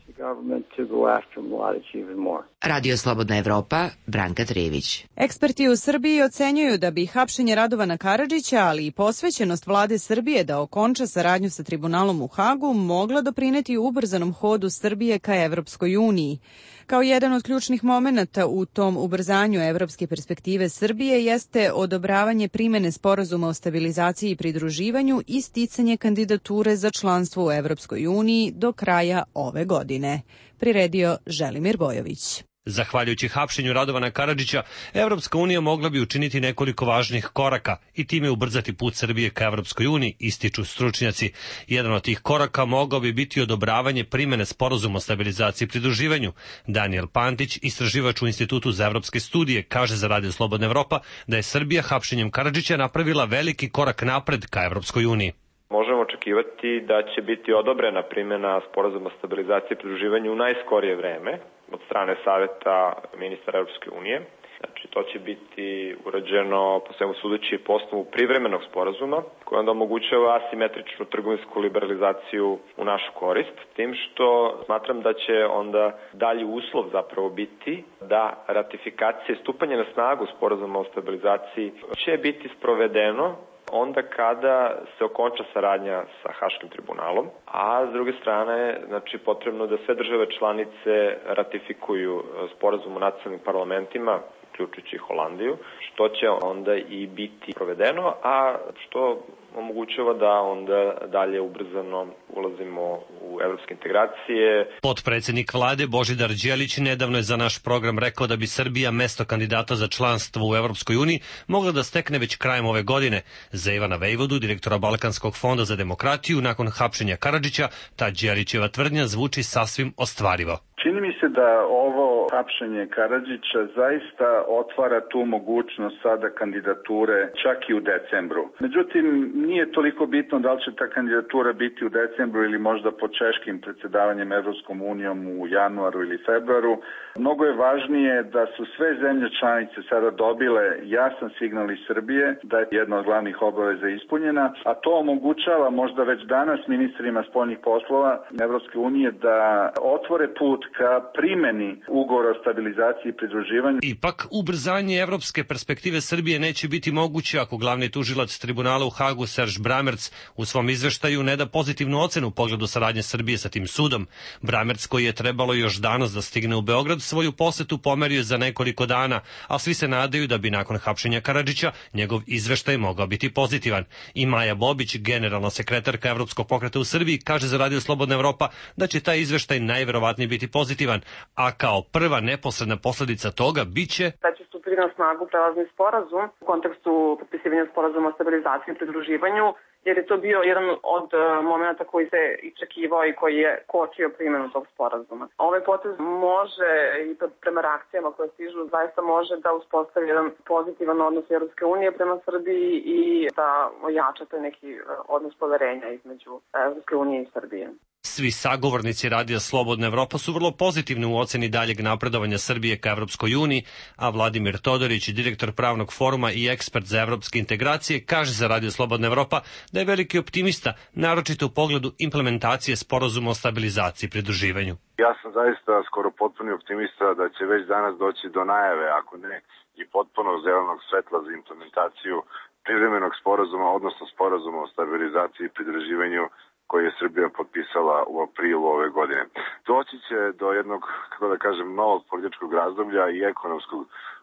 [SPEAKER 6] after Mladić even more.
[SPEAKER 7] Radio Slobodna Evropa, Branka Trević.
[SPEAKER 1] Eksperti u Srbiji ocenjuju da bi hapšenje Radovana Karadžića, ali i posvećenost vlade Srbije da okonča saradnju sa tribunalom u Hagu mogla doprineti ubrzanom hodu Srbije ka Evropskoj uniji. Kao jedan od ključnih momenata u tom ubrzanju evropske perspektive Srbije jeste odobravanje primene sporazuma o stabilizaciji i pridruživanju i sticanje kandidature za članstvo u Evropskoj uniji do kraja ove godine. Priredio Želimir Bojović.
[SPEAKER 17] Zahvaljujući hapšenju Radovana Karadžića, Evropska unija mogla bi učiniti nekoliko važnih koraka i time ubrzati put Srbije ka Evropskoj uniji, ističu stručnjaci. Jedan od tih koraka mogao bi biti odobravanje primene sporazuma o stabilizaciji i pridruživanju. Daniel Pantić, istraživač u Institutu za evropske studije, kaže za Radio Slobodna Evropa da je Srbija hapšenjem Karadžića napravila veliki korak napred ka Evropskoj uniji.
[SPEAKER 18] Možemo očekivati da će biti odobrena primjena sporazuma o stabilizaciji i pridruživanju u najskorije vreme od strane Saveta ministara Evropske unije. Znači, to će biti urađeno po svemu sudeći po osnovu privremenog sporazuma koji onda omogućava asimetričnu trgovinsku liberalizaciju u našu korist, tim što smatram da će onda dalji uslov zapravo biti da ratifikacija i stupanje na snagu sporazuma o stabilizaciji će biti sprovedeno onda kada se okonča saradnja sa Haškim tribunalom, a s druge strane, znači, potrebno da sve države članice ratifikuju sporazum u nacionalnim parlamentima, uključujući Holandiju, što će onda i biti provedeno, a što omogućava da onda dalje ubrzano ulazimo u evropske integracije.
[SPEAKER 17] Potpredsednik vlade Božidar Đelić nedavno je za naš program rekao da bi Srbija mesto kandidata za članstvo u Evropskoj uniji mogla da stekne već krajem ove godine. Za Ivana Vejvodu, direktora Balkanskog fonda za demokratiju, nakon hapšenja Karadžića, ta Đelićeva tvrdnja zvuči sasvim ostvarivo.
[SPEAKER 19] Čini mi se da ovo hapšenje Karadžića zaista otvara tu mogućnost sada kandidature čak i u decembru. Međutim, nije toliko bitno da li će ta kandidatura biti u decembru ili možda pod češkim predsjedavanjem Evropskom unijom u januaru ili februaru. Mnogo je važnije da su sve zemlje članice sada dobile jasan signal iz Srbije da je jedna od glavnih obaveza ispunjena, a to omogućava možda već danas ministrima spoljnih poslova Evropske unije da otvore put ka primeni ugovora o stabilizaciji i pridruživanju.
[SPEAKER 17] Ipak, ubrzanje evropske perspektive Srbije neće biti moguće ako glavni tužilac tribunala u Hagu Serž Bramerc u svom izveštaju ne da pozitivnu ocenu u pogledu saradnje Srbije sa tim sudom. Bramerc, koji je trebalo još danas da stigne u Beograd, svoju posetu pomerio za nekoliko dana, a svi se nadaju da bi nakon hapšenja Karadžića njegov izveštaj mogao biti pozitivan. I Maja Bobić, generalna sekretarka Evropskog pokreta u Srbiji, kaže za Radio Slobodna Evropa da će taj izveštaj najverovatnije biti pozitivan, a kao prva neposredna posledica toga biće
[SPEAKER 20] da će stupiti na snagu prelazni sporazum u kontekstu potpisivanja sporazuma o stabilizaciji i pridruživanju, jer je to bio jedan od momenta koji se iščekivao i koji je kočio primjenu tog sporazuma. Ovaj potez može, i prema reakcijama koje stižu, zaista može da uspostavi jedan pozitivan odnos Evropske unije prema Srbiji i da ojača taj neki odnos poverenja između Evropske unije i Srbije.
[SPEAKER 17] Svi sagovornici Radija Slobodna Evropa su vrlo pozitivni u oceni daljeg napredovanja Srbije ka Evropskoj uniji, a Vladimir Todorić, direktor Pravnog foruma i ekspert za evropske integracije, kaže za Radio Slobodna Evropa da je veliki optimista, naročito u pogledu implementacije sporazuma o stabilizaciji i pridruživanju.
[SPEAKER 30] Ja sam zaista skoro potpuni optimista da će već danas doći do najave, ako ne i potpunog zelenog svetla za implementaciju privremenog sporazuma, odnosno sporazuma o stabilizaciji i pridruživanju koji je Srbija potpisala u aprilu ove godine. Doći će do jednog, kako da kažem, novog političkog razdoblja i ekonomskog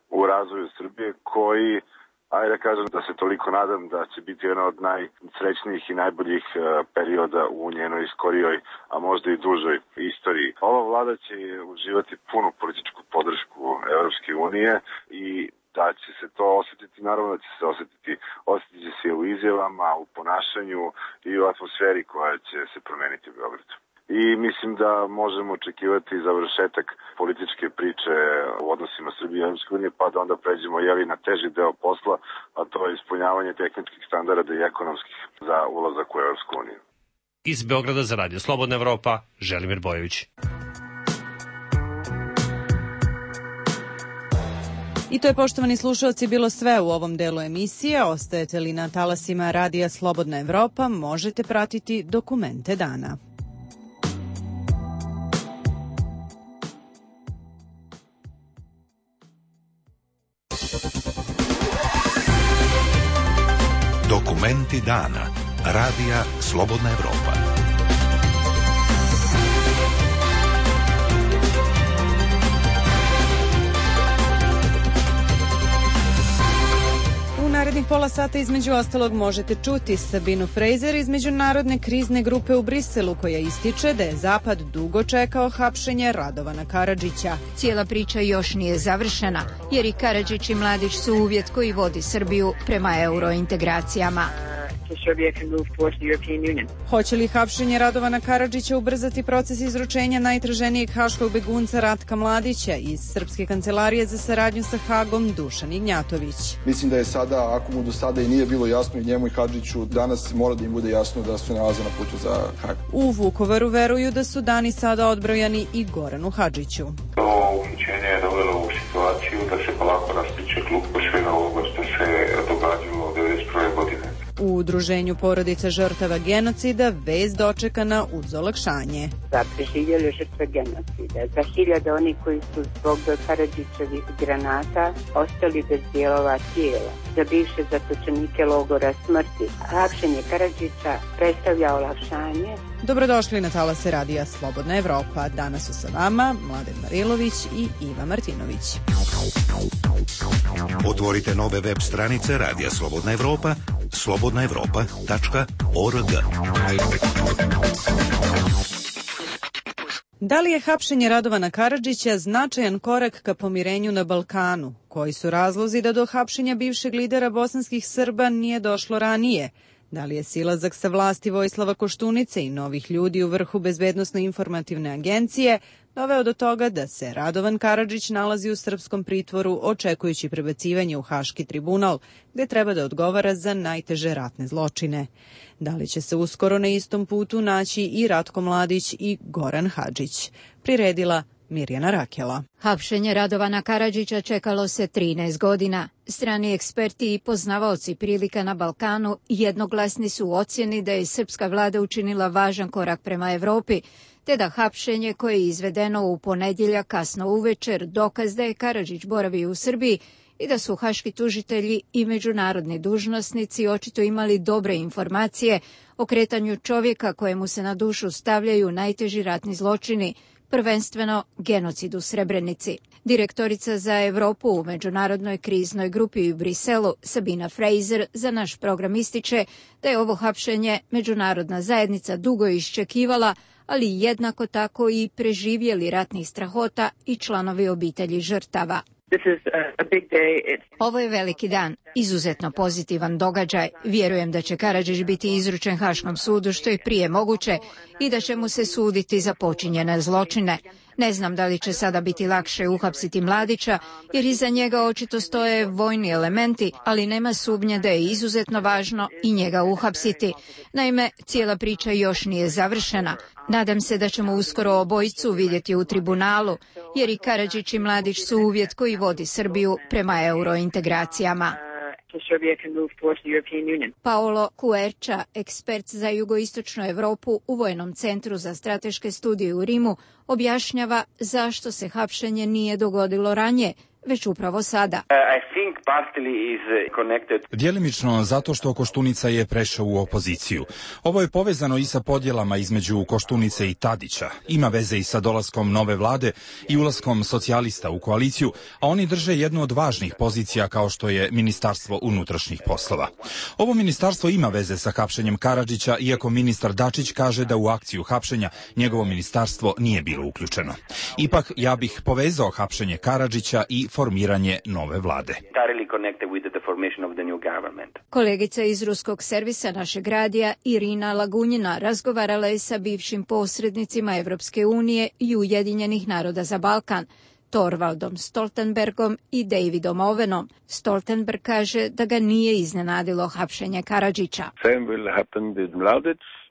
[SPEAKER 30] u razvoju Srbije koji, ajde da kažem da se toliko nadam da će biti jedan od najsrećnijih i najboljih perioda u njenoj skorijoj, a možda i dužoj istoriji. Ova vlada će uživati punu političku podršku Evropske unije i da će se to osjetiti, naravno da će se osjetiti, osjetit će se u izjavama, u ponašanju i u atmosferi koja će se promeniti u Beogradu. I mislim da možemo očekivati završetak političke priče u odnosima Srbije i Evropske unije, pa da onda pređemo jeli na teži deo posla, a to je ispunjavanje tehničkih standarda i ekonomskih za ulazak u Evropsku uniju.
[SPEAKER 17] Iz Beograda za Radio Slobodna Evropa, Želimir Bojović.
[SPEAKER 1] I to je, poštovani slušalci, bilo sve u ovom delu emisije. Ostajete li na talasima Radija Slobodna Evropa, možete pratiti dokumente dana.
[SPEAKER 2] Dokumenti dana. Radija Slobodna Evropa.
[SPEAKER 1] U narednih pola sata između ostalog možete čuti Sabinu Fraser iz Međunarodne krizne grupe u Briselu, koja ističe da je Zapad dugo čekao hapšenje Radovana Karadžića.
[SPEAKER 8] Cijela priča još nije završena, jer i Karadžić i Mladić su uvjet koji vodi Srbiju prema eurointegracijama.
[SPEAKER 1] Hoće li hapšenje Radovana Karadžića ubrzati proces izručenja najtraženijeg haškog begunca Ratka Mladića iz Srpske kancelarije za saradnju sa Hagom Dušan Ignjatović?
[SPEAKER 9] Mislim da je sada, ako mu do sada i nije bilo jasno i njemu i Hadžiću, danas mora da im bude jasno da se nalaze na putu za Hag.
[SPEAKER 1] U Vukovaru veruju da su dani sada odbrojani i Goranu Hadžiću.
[SPEAKER 21] To uhićenje je dovelo u situaciju da se polako rastiče klupko svega ovoga što se događalo od devedeset prve godine.
[SPEAKER 1] U udruženju porodica žrtava genocida vest dočekana uz olakšanje.
[SPEAKER 22] Za preživjele žrtve genocida, za hiljade onih koji su zbog Karadžićevih granata ostali bez dijelova tijela, za bivše zatočenike logora smrti. Hapšenje Karadžića predstavlja olakšanje.
[SPEAKER 1] Dobrodošli na talase radija Slobodna Evropa. Danas su sa vama Mladen Marilović i Iva Martinović.
[SPEAKER 2] Otvorite nove web stranice Radija Slobodna Evropa, slobodna evropa tačka org.
[SPEAKER 1] Da li je hapšenje Radovana Karadžića značajan korak ka pomirenju na Balkanu? Koji su razlozi da do hapšenja bivšeg lidera bosanskih Srba nije došlo ranije? Da li je silazak sa vlasti Vojislava Koštunice i novih ljudi u vrhu Bezbednosno-informativne agencije doveo do toga da se Radovan Karadžić nalazi u srpskom pritvoru očekujući prebacivanje u Haški tribunal, gde treba da odgovara za najteže ratne zločine? Da li će se uskoro na istom putu naći i Ratko Mladić i Goran Hadžić? Priredila Mirjana Rakela.
[SPEAKER 8] Hapšenje Radovana Karadžića čekalo se trinaest godina. Strani eksperti i poznavaoci prilika na Balkanu jednoglasni su u ocjeni da je srpska vlada učinila važan korak prema Evropi, te da hapšenje koje je izvedeno u ponedjeljak kasno uvečer dokaz da je Karadžić boravio u Srbiji i da su haški tužitelji i međunarodni dužnosnici očito imali dobre informacije o kretanju čovjeka kojemu se na dušu stavljaju najteži ratni zločini, prvenstveno genocid u Srebrenici. Direktorica za Evropu u Međunarodnoj kriznoj grupi u Briselu, Sabina Fraser, za naš program ističe da je ovo hapšenje međunarodna zajednica dugo iščekivala, ali jednako tako i preživjeli ratnih strahota i članovi obitelji žrtava. Ovo je veliki dan, izuzetno pozitivan događaj. Vjerujem da će Karadžić biti izručen Haškom sudu što je prije moguće i da će mu se suditi za počinjene zločine. Ne znam da li će sada biti lakše uhapsiti Mladića, jer iza njega očito stoje vojni elementi, ali nema sumnje da je izuzetno važno i njega uhapsiti. Naime, cijela priča još nije završena. Nadam se da ćemo uskoro obojicu vidjeti u tribunalu, jer i Karadžić i Mladić su uvjet koji vodi Srbiju prema eurointegracijama. Paolo Kuerča, ekspert za jugoistočnu Evropu u Vojnom centru za strateške studije u Rimu, objašnjava zašto se hapšenje nije dogodilo ranije, već upravo sada.
[SPEAKER 23] Djelimično zato što Koštunica je prešao u opoziciju. Ovo je povezano i sa podjelama između Koštunice i Tadića. Ima veze i sa dolaskom nove vlade i ulaskom socijalista u koaliciju, a oni drže jednu od važnih pozicija kao što je Ministarstvo unutrašnjih poslova. Ovo ministarstvo ima veze sa hapšenjem Karadžića, iako ministar Dačić kaže da u akciju hapšenja njegovo ministarstvo nije bilo uključeno. Ipak, ja bih povezao hapšenje Karadžića i formiranje nove vlade.
[SPEAKER 8] Kolegica iz ruskog servisa našeg radija Irina Lagunjina razgovarala je sa bivšim posrednicima Evropske unije i Ujedinjenih naroda za Balkan, Torvaldom Stoltenbergom i Davidom Owenom. Stoltenberg kaže da ga nije iznenadilo hapšenje Karadžića.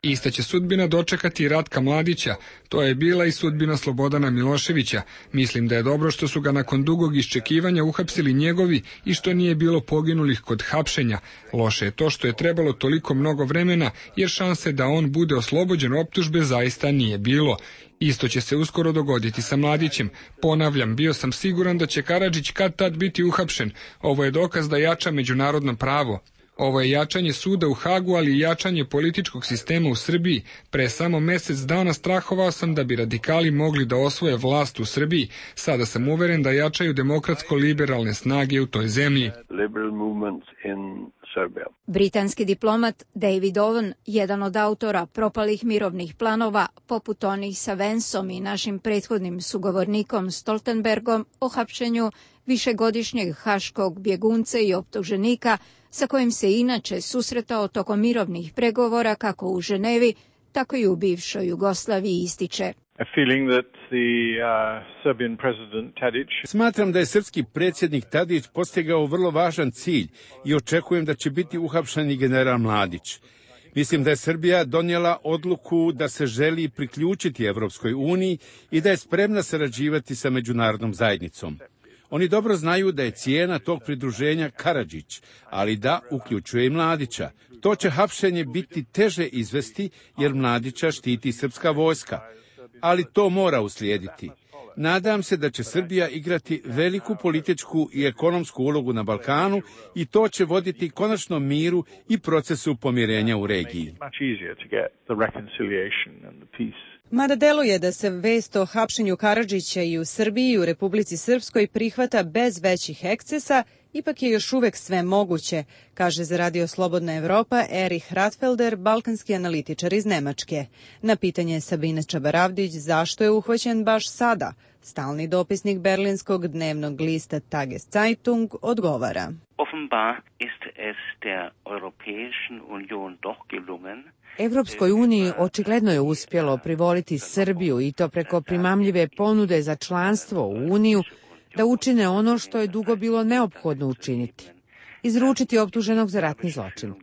[SPEAKER 10] Ista će sudbina dočekati i Ratka Mladića, to je bila i sudbina Slobodana Miloševića. Mislim da je dobro što su ga nakon dugog iščekivanja uhapsili njegovi i što nije bilo poginulih kod hapšenja. Loše je to što je trebalo toliko mnogo vremena, jer šanse da on bude oslobođen optužbe zaista nije bilo. Isto će se uskoro dogoditi sa Mladićem. Ponavljam, bio sam siguran da će Karadžić kad tad biti uhapšen. Ovo je dokaz da jača međunarodno pravo. Ovo je jačanje suda u Hagu, ali i jačanje političkog sistema u Srbiji. Pre samo mesec dana strahovao sam da bi radikali mogli da osvoje vlast u Srbiji. Sada sam uveren da jačaju demokratsko-liberalne snage u toj zemlji.
[SPEAKER 8] Britanski diplomat David Owen, jedan od autora propalih mirovnih planova, poput onih sa Vensom i našim prethodnim sugovornikom Stoltenbergom o hapšenju višegodišnjeg haškog bjegunca i optuženika, sa kojim se inače susretao tokom mirovnih pregovora kako u Ženevi, tako i u bivšoj Jugoslaviji, ističe.
[SPEAKER 12] Smatram da je srpski predsjednik Tadić postigao vrlo važan cilj i očekujem da će biti uhapšen i general Mladić. Mislim da je Srbija donijela odluku da se želi priključiti Evropskoj uniji i da je spremna sarađivati sa međunarodnom zajednicom. Oni dobro znaju da je cijena tog pridruženja Karadžić, ali da uključuje i Mladića. To će hapšenje biti teže izvesti jer Mladića štiti srpska vojska, ali to mora uslijediti. Nadam se da će Srbija igrati veliku političku i ekonomsku ulogu na Balkanu i to će voditi konačnom miru i procesu pomirenja u regiji.
[SPEAKER 1] Mada deluje da se vest o hapšenju Karadžića i u Srbiji i u Republici Srpskoj prihvata bez većih ekscesa, ipak je još uvek sve moguće, kaže za Radio Slobodna Evropa Erich Ratfelder, balkanski analitičar iz Nemačke. Na pitanje Sabine Čabaravdić zašto je uhvaćen baš sada, stalni dopisnik berlinskog dnevnog lista Tageszeitung odgovara.
[SPEAKER 14] Offenbar ist es der Europäischen Union doch gelungen,
[SPEAKER 5] Evropskoj uniji očigledno je uspjelo privoliti Srbiju i to preko primamljive ponude za članstvo u Uniju da učine ono što je dugo bilo neophodno učiniti. Izručiti optuženog za ratni zločin.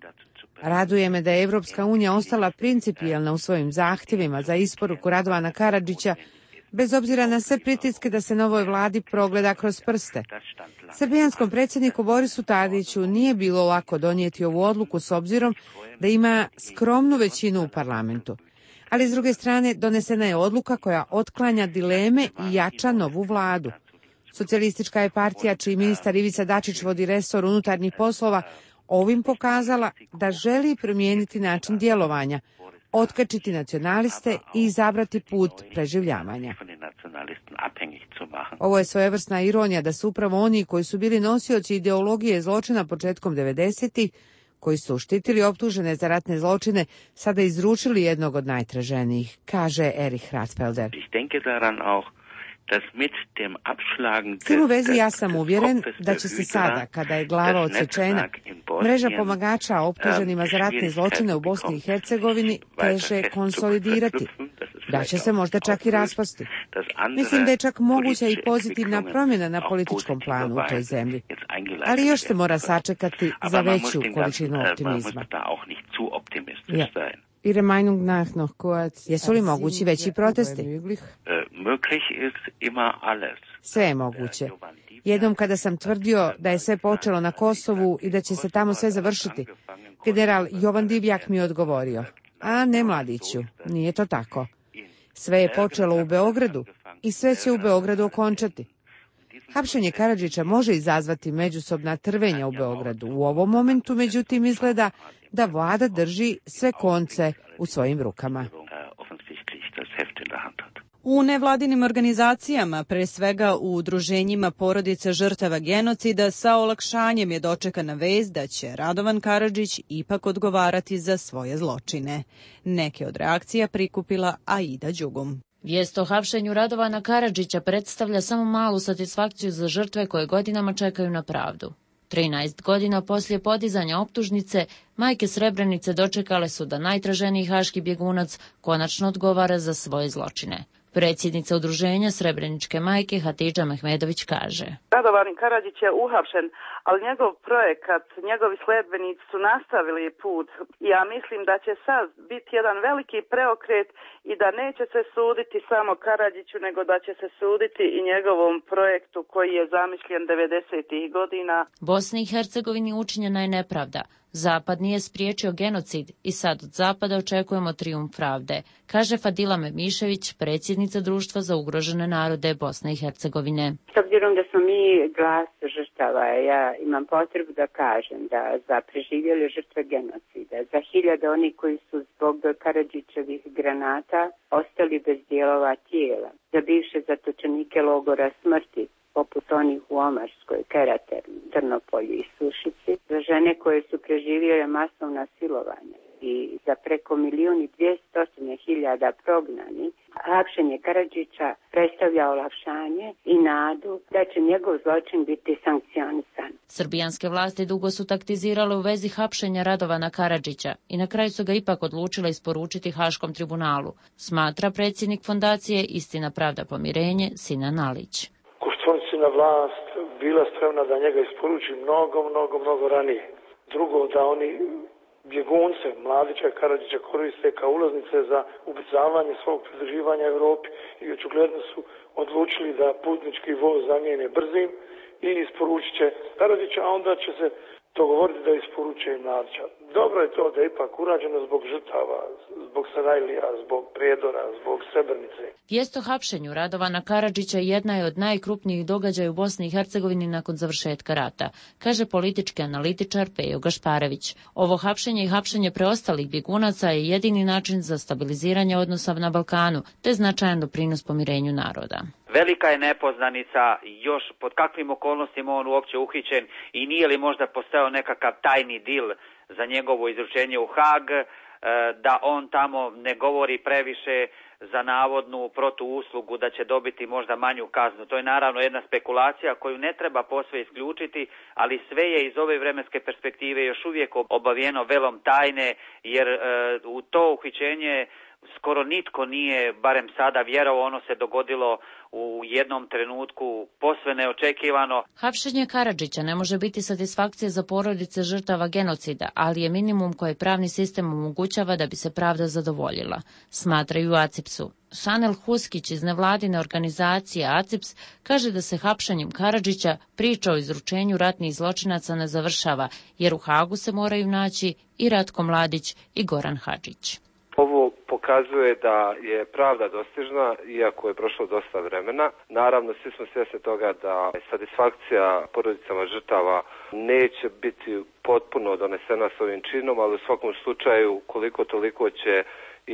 [SPEAKER 5] Raduje me da je Evropska unija ostala principijelna u svojim zahtjevima za isporuku Radovana Karadžića, bez obzira na sve pritiske da se novoj vladi progleda kroz prste. Srbijanskom predsjedniku Borisu Tadiću nije bilo lako donijeti ovu odluku s obzirom da ima skromnu većinu u parlamentu. Ali s druge strane donesena je odluka koja otklanja dileme i jača novu vladu. Socijalistička je partija, čiji ministar Ivica Dačić vodi resor unutarnjih poslova, ovim pokazala da želi promijeniti način djelovanja, otkačiti nacionaliste i izabrati put preživljavanja. Ovo je svojevrsna ironija da su upravo oni koji su bili nosioci ideologije zločina početkom devedesetih, koji su štitili optužene za ratne zločine, sada izručili jednog od najtraženijih, kaže Erich Ratfelder. S tim u vezi ja sam uvjeren da će se sada, kada je glava odsečena, mreža pomagača optuženima za ratne zločine u Bosni i Hercegovini teže konsolidirati, da će se možda čak i raspasti. Mislim da je čak moguća i pozitivna promjena na političkom planu u toj zemlji, ali još se mora sačekati za veću količinu optimizma. Ja. Ihre Meinung nach noch kurz. Jesu li mogući veći protesti? Sve je moguće. Jednom kada sam tvrdio da je sve počelo na Kosovu i da će se tamo sve završiti, general Jovan Divjak mi je odgovorio: a ne, mladiću, nije to tako. Sve je počelo u Beogradu i sve će u Beogradu okončati. Hapšenje Karadžića može izazvati međusobna trvenja u Beogradu. U ovom momentu, međutim, izgleda da vlada drži sve konce u svojim rukama.
[SPEAKER 1] U nevladinim organizacijama, pre svega u udruženjima porodica žrtava genocida, sa olakšanjem je dočekana vest da će Radovan Karadžić ipak odgovarati za svoje zločine. Neke od reakcija prikupila Aida Đugum.
[SPEAKER 15] Vijest o hapšenju Radovana Karadžića predstavlja samo malu satisfakciju za žrtve koje godinama čekaju na pravdu. trinaest godina poslije podizanja optužnice, majke Srebrenice dočekale su da najtraženiji haški bjegunac konačno odgovara za svoje zločine. Predsjednica udruženja Srebreničke majke Hatidža Mehmedović kaže:
[SPEAKER 3] Radovan Karadžić je uhapšen, ali njegov projekat, njegovi sledbenici su nastavili put. Ja mislim da će sad biti jedan veliki preokret i da neće se suditi samo Karadžiću, nego da će se suditi i njegovom projektu koji je zamišljen devedesetih godina.
[SPEAKER 15] Bosni i Hercegovini učinjena je nepravda. Zapad nije spriječio genocid i sad od Zapada očekujemo trijumf pravde, kaže Fadila Memišević, predsjednica Društva za ugrožene narode Bosne i Hercegovine.
[SPEAKER 22] S obzirom da smo mi glas žrtava, ja imam potrebu da kažem da za preživjele žrtve genocida, za hiljade oni koji su zbog Karadžićevih granata ostali bez dijelova tijela, za bivše zatočenike logora smrti, poput onih u Omarskoj, Kerateru, Trnopolju i Sušici, za žene koje su preživjele masovna silovanja i za preko milijun i dvjesto hiljada prognani, hapšenje Karadžića predstavlja olakšanje i nadu da će njegov zločin biti sankcionisan.
[SPEAKER 15] Srbijanske vlasti dugo su taktizirale u vezi hapšenja Radovana Karadžića i na kraju su ga ipak odlučile isporučiti Haškom tribunalu, smatra predsjednik fondacije Istina, pravda, pomirenje Sinan Alić.
[SPEAKER 4] Koštuničina vlast bila spremna da njega isporuči mnogo, mnogo, mnogo ranije. Drugo, da oni bjegunce Mladića i Karadžića koriste kao ulaznice za ubrzavanje svog pridruživanja Europi i očigledno su odlučili da putnički voz zamijene brzim i isporučit će Karadžića, a onda će se dogovoriti da isporuče i Mladića. Dobro je to da je ipak urađeno zbog žrtava, zbog Sarajlija, zbog Prijedora, zbog Srebrenice.
[SPEAKER 15] Vijest o hapšenju Radovana Karadžića jedna je od najkrupnijih događaja u Bosni i Hercegovini nakon završetka rata, kaže politički analitičar Pejo Gašparević. Ovo hapšenje i hapšenje preostalih bjegunaca je jedini način za stabiliziranje odnosa na Balkanu, te značajan doprinos pomirenju naroda.
[SPEAKER 13] Velika je nepoznanica još pod kakvim okolnostima on uopće uhićen i nije li možda postojao nekakav tajni dil za njegovo izručenje u Hag, da on tamo ne govori previše za navodnu protuuslugu da će dobiti možda manju kaznu. To je naravno jedna spekulacija koju ne treba posve isključiti, ali sve je iz ove vremenske perspektive još uvijek obavijeno velom tajne, jer u to uhićenje skoro nitko nije, barem sada, vjerovao. Ono se dogodilo u jednom trenutku posve neočekivano.
[SPEAKER 15] Hapšenje Karadžića ne može biti satisfakcija za porodice žrtava genocida, ali je minimum koji pravni sistem omogućava da bi se pravda zadovoljila, smatraju u ACIPS-u. Šanel Huskić iz nevladine organizacije ACIPS kaže da se hapšenjem Karadžića priča o izručenju ratnih zločinaca ne završava, jer u Hagu se moraju naći i Ratko Mladić i Goran Hadžić.
[SPEAKER 16] Ovo pokazuje da je pravda dostižna, iako je prošlo dosta vremena. Naravno, svi smo svjesni toga da satisfakcija porodicama žrtava neće biti potpuno donesena s ovim činom, ali u svakom slučaju koliko toliko će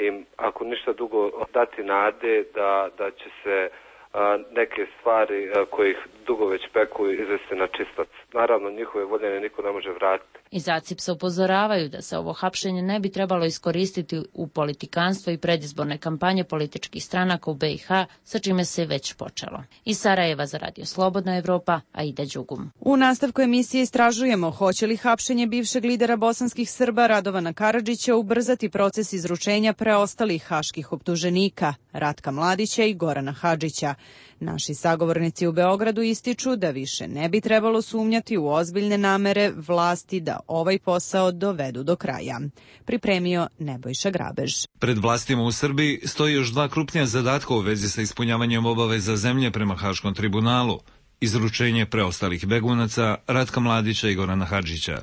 [SPEAKER 16] im, ako ništa dugo, dati nade da, da će se a, neke stvari a, koje ih dugo već peku izvesti na čistac. Naravno, njihove voljene niko ne može vratiti.
[SPEAKER 15] Iz ACIPS-a upozoravaju da se ovo hapšenje ne bi trebalo iskoristiti u politikanstvo i predizborne kampanje političkih stranaka u B i H, sa čime se već počelo. Iz Sarajeva za Radio Slobodna Evropa, Aida Đugum.
[SPEAKER 1] U nastavku emisije istražujemo hoće li hapšenje bivšeg lidera bosanskih Srba Radovana Karadžića ubrzati proces izručenja preostalih haških optuženika Ratka Mladića i Gorana Hadžića. Naši sagovornici u Beogradu ističu da više ne bi trebalo sumnjati u ozbiljne namere vlasti da ovaj posao dovedu do kraja. Pripremio Nebojša Grabež.
[SPEAKER 24] Pred vlastima u Srbiji stoji još dva krupnija zadatka u vezi sa ispunjavanjem obaveza zemlje prema Haškom tribunalu. Izručenje preostalih begunaca Ratka Mladića i Gorana Hadžića.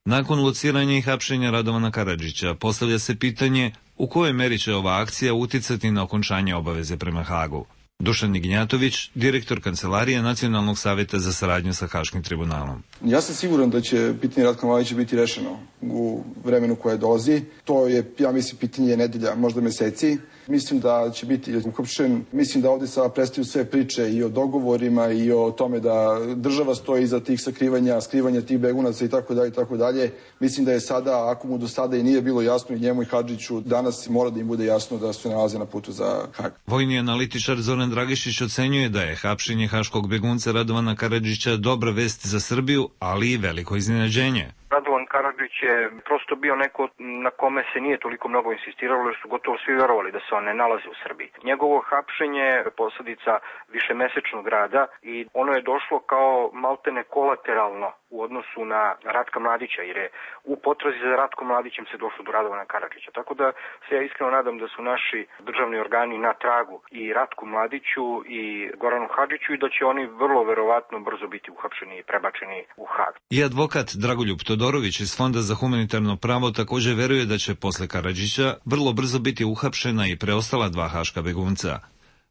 [SPEAKER 24] Nakon lociranja i hapšenja Radovana Karadžića postavlja se pitanje u kojoj meri će ova akcija uticati na okončanje obaveze prema Hagu. Dušan Ignjatović, direktor Kancelarije Nacionalnog savjeta za saradnju sa Haškim tribunalom.
[SPEAKER 9] Ja sam siguran da će pitanje Ratka Mladića biti rešeno u vremenu koje dolazi. To je, ja mislim, pitanje nedelja, možda meseci. Mislim da će biti uhapšen. Mislim da ovdje sada prestaju sve priče i o dogovorima i o tome da država stoji iza tih sakrivanja, skrivanja tih begunaca i tako dalje i tako dalje. Mislim da je sada, ako mu do sada i nije bilo jasno i njemu i Hadžiću, danas mora da im bude jasno da se nalaze na putu za Hag.
[SPEAKER 24] Vojni analitičar Zoran Dragišić ocenjuje da je hapšenje haškog begunca Radovana Karadžića dobra vest za Srbiju, ali i veliko iznenađenje.
[SPEAKER 25] Radovan Karadžić
[SPEAKER 6] je prosto bio neko na kome se nije toliko mnogo insistiralo, jer su gotovo svi verovali da se on ne nalazi u Srbiji. Njegovo hapšenje je posledica višemesečnog rada i ono je došlo kao maltene kolateralno u odnosu na Ratka Mladića, jer je u potrazi za Ratkom Mladićem se došlo do Radovana Karadžića. Tako da se ja iskreno nadam da su naši državni organi na tragu i Ratku Mladiću i Goranu Hadžiću i da će oni vrlo verovatno brzo biti uhapšeni i prebačeni u Hag.
[SPEAKER 24] I advokat Dragoljub Todorović iz Fonda za humanitarno pravo također veruje da će posle Karadžića vrlo brzo biti uhapšena i preostala dva haška begunca.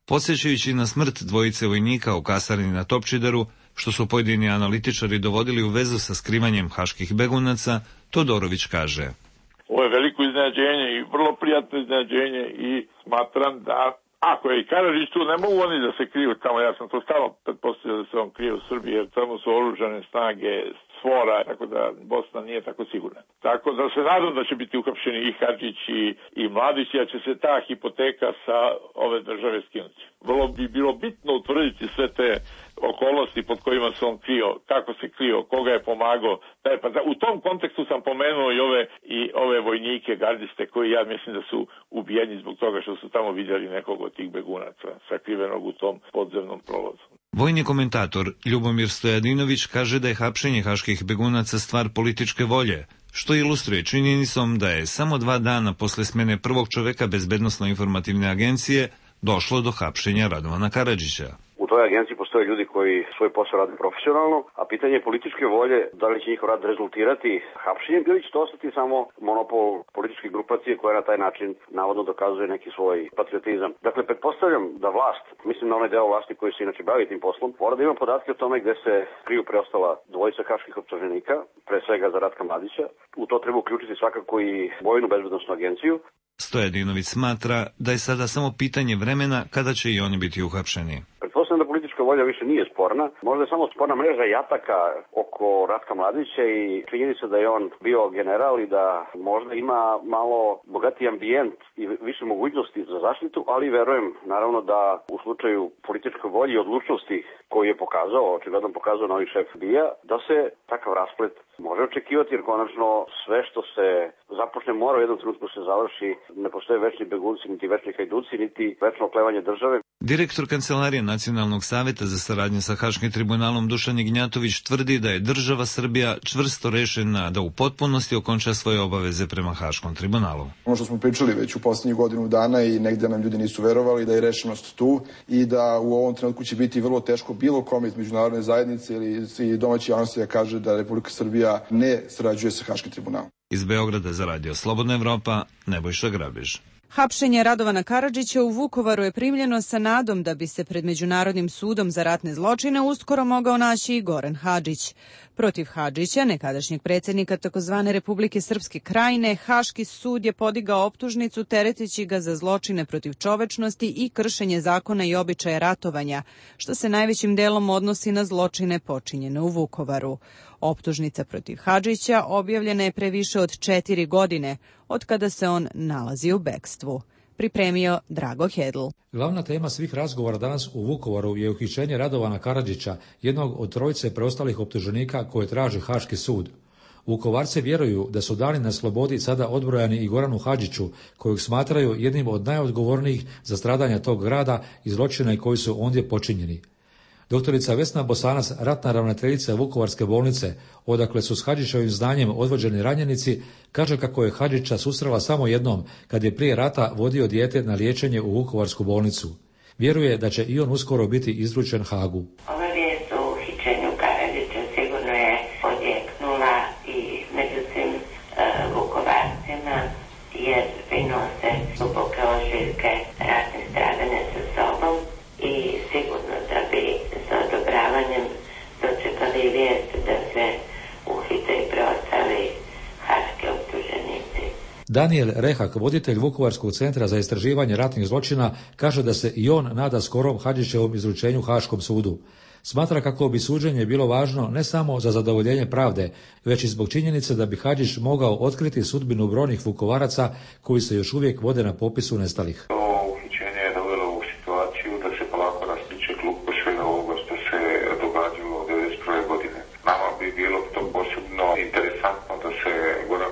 [SPEAKER 24] Podsjećajući na smrt dvojice vojnika u kasarni na Topčideru, što su pojedini analitičari dovodili u vezu sa skrivanjem haških begunaca, Todorović kaže:
[SPEAKER 7] Ovo je veliko iznenađenje i vrlo prijatno iznenađenje i smatram da ako je i Karadžić tu, ne mogu oni da se kriju tamo. Ja sam to stalno pretpostavio da se on krije u Srbiji, jer tamo su oružane snage Sfora, tako da Bosna nije tako sigurna. Tako da se nadam da će biti uhapšeni i Hadžić i, i Mladić, jer će se ta hipoteka sa ove države skinuti. Vrlo bi bilo bitno utvrditi sve te okolnosti pod kojima se on krio, kako se krio, koga je pomagao. Pa u tom kontekstu sam pomenuo i ove, i ove vojnike, gardiste, koji ja mislim da su ubijeni zbog toga što su tamo vidjeli nekog od tih begunaca sakrivenog u tom podzemnom prolazu.
[SPEAKER 24] Vojni komentator Ljubomir Stojadinović kaže da je hapšenje haških begunaca stvar političke volje, što ilustruje činjenicom da je samo dva dana posle smene prvog čoveka Bezbednosno-informativne agencije došlo do hapšenja Radovana Karadžića.
[SPEAKER 11] U toj agenciji postoje ljudi koji svoj posao rade profesionalno, a pitanje političke volje, da li će njihov rad rezultirati hapšenjem ili će to ostati samo monopol političke grupacije koja na taj način navodno dokazuje neki svoj patriotizam. Dakle, pretpostavljam da vlast, mislim na onaj deo vlasti koji se inače bavi tim poslom, mora da ima podatke o tome gde se kriju preostala dvojica haških optuženika, pre svega za Ratka Mladića. U to treba uključiti svakako i Vojnu bezbednosnu agenciju.
[SPEAKER 24] Stojadinović smatra da je sada samo pitanje vremena kada će i oni biti uhapšeni.
[SPEAKER 11] Pretpostavljam da politička volja više nije sporna. Možda je samo sporna mreža jataka oko Ratka Mladića i činjenica da je on bio general i da možda ima malo bogatiji ambijent i više mogućnosti za zaštitu, ali verujem naravno da u slučaju političke volje i odlučnosti koju je pokazao, očigledno pokazao novi šef B I A, da se takav rasplet može očekivati, jer konačno sve što se započne mora u jednom trenutku se završi. Ne postoje večni begunci, niti večni hajduci, niti večno oklevanje države.
[SPEAKER 24] Direktor Kancelarije Nacionalnog saveta za saradnju sa Haškim tribunalom Dušan Ignjatović tvrdi da je država Srbija čvrsto rešena da u potpunosti okonča svoje obaveze prema Haškom tribunalu.
[SPEAKER 9] Ono što smo pričali već u posljednjih godinu dana i negde nam ljudi nisu verovali da je rešenost tu i da u ovom trenutku će biti vrlo teško bilo kome iz međunarodne zajednice ili domaće javnosti da kaže da Republika Srbija ne sarađuje sa Haškim tribunalom.
[SPEAKER 24] Iz Beograda za radio Slobodna Evropa, Nebojša Grabež.
[SPEAKER 1] Hapšenje Radovana Karadžića u Vukovaru je primljeno sa nadom da bi se pred Međunarodnim sudom za ratne zločine uskoro mogao naći i Goran Hadžić. Protiv Hadžića, nekadašnjeg predsjednika takozvane Republike Srpske Krajine, Haški sud je podigao optužnicu tereteći ga za zločine protiv čovečnosti i kršenje zakona i običaja ratovanja, što se najvećim delom odnosi na zločine počinjene u Vukovaru. Optužnica protiv Hadžića objavljena je pre više od četiri godine, od kada se on nalazi u bekstvu. Pripremio Drago Hedl.
[SPEAKER 18] Glavna tema svih razgovora danas u Vukovaru je uhićenje Radovana Karadžića, jednog od trojice preostalih optuženika koje traži Haški sud. Vukovarci vjeruju da su dani na slobodi sada odbrojani i Goranu Hadžiću, kojeg smatraju jednim od najodgovornijih za stradanja tog grada i zločine koji su ondje počinjeni. Doktorica Vesna Bosanac, ratna ravnateljica Vukovarske bolnice, odakle su s Hadžićevim znanjem odvođeni ranjenici, kaže kako je Hadžića susrela samo jednom, kad je prije rata vodio dijete na liječenje u Vukovarsku bolnicu. Vjeruje da će i on uskoro biti izručen Hagu.
[SPEAKER 19] Ova vijest o uhićenju Karadžića sigurno je odjeknula i među svim uh, Vukovarcima, jer prinose duboke ožiljke ratnih stradanja sa sobom i sigurno da bi sa odobravanjem dočekali vijest da se uhite i preostali haški optuženici.
[SPEAKER 18] Daniel Rehak, voditelj Vukovarskog centra za istraživanje ratnih zločina, kaže da se i on nada skorom Hadžićevom izručenju Haškom sudu. Smatra kako bi suđenje bilo važno ne samo za zadovoljenje pravde, već i zbog činjenice da bi Hadžić mogao otkriti sudbinu brojnih Vukovaraca koji se još uvijek vode na popisu nestalih.
[SPEAKER 21] Bilo to posebno interesantno da se Goran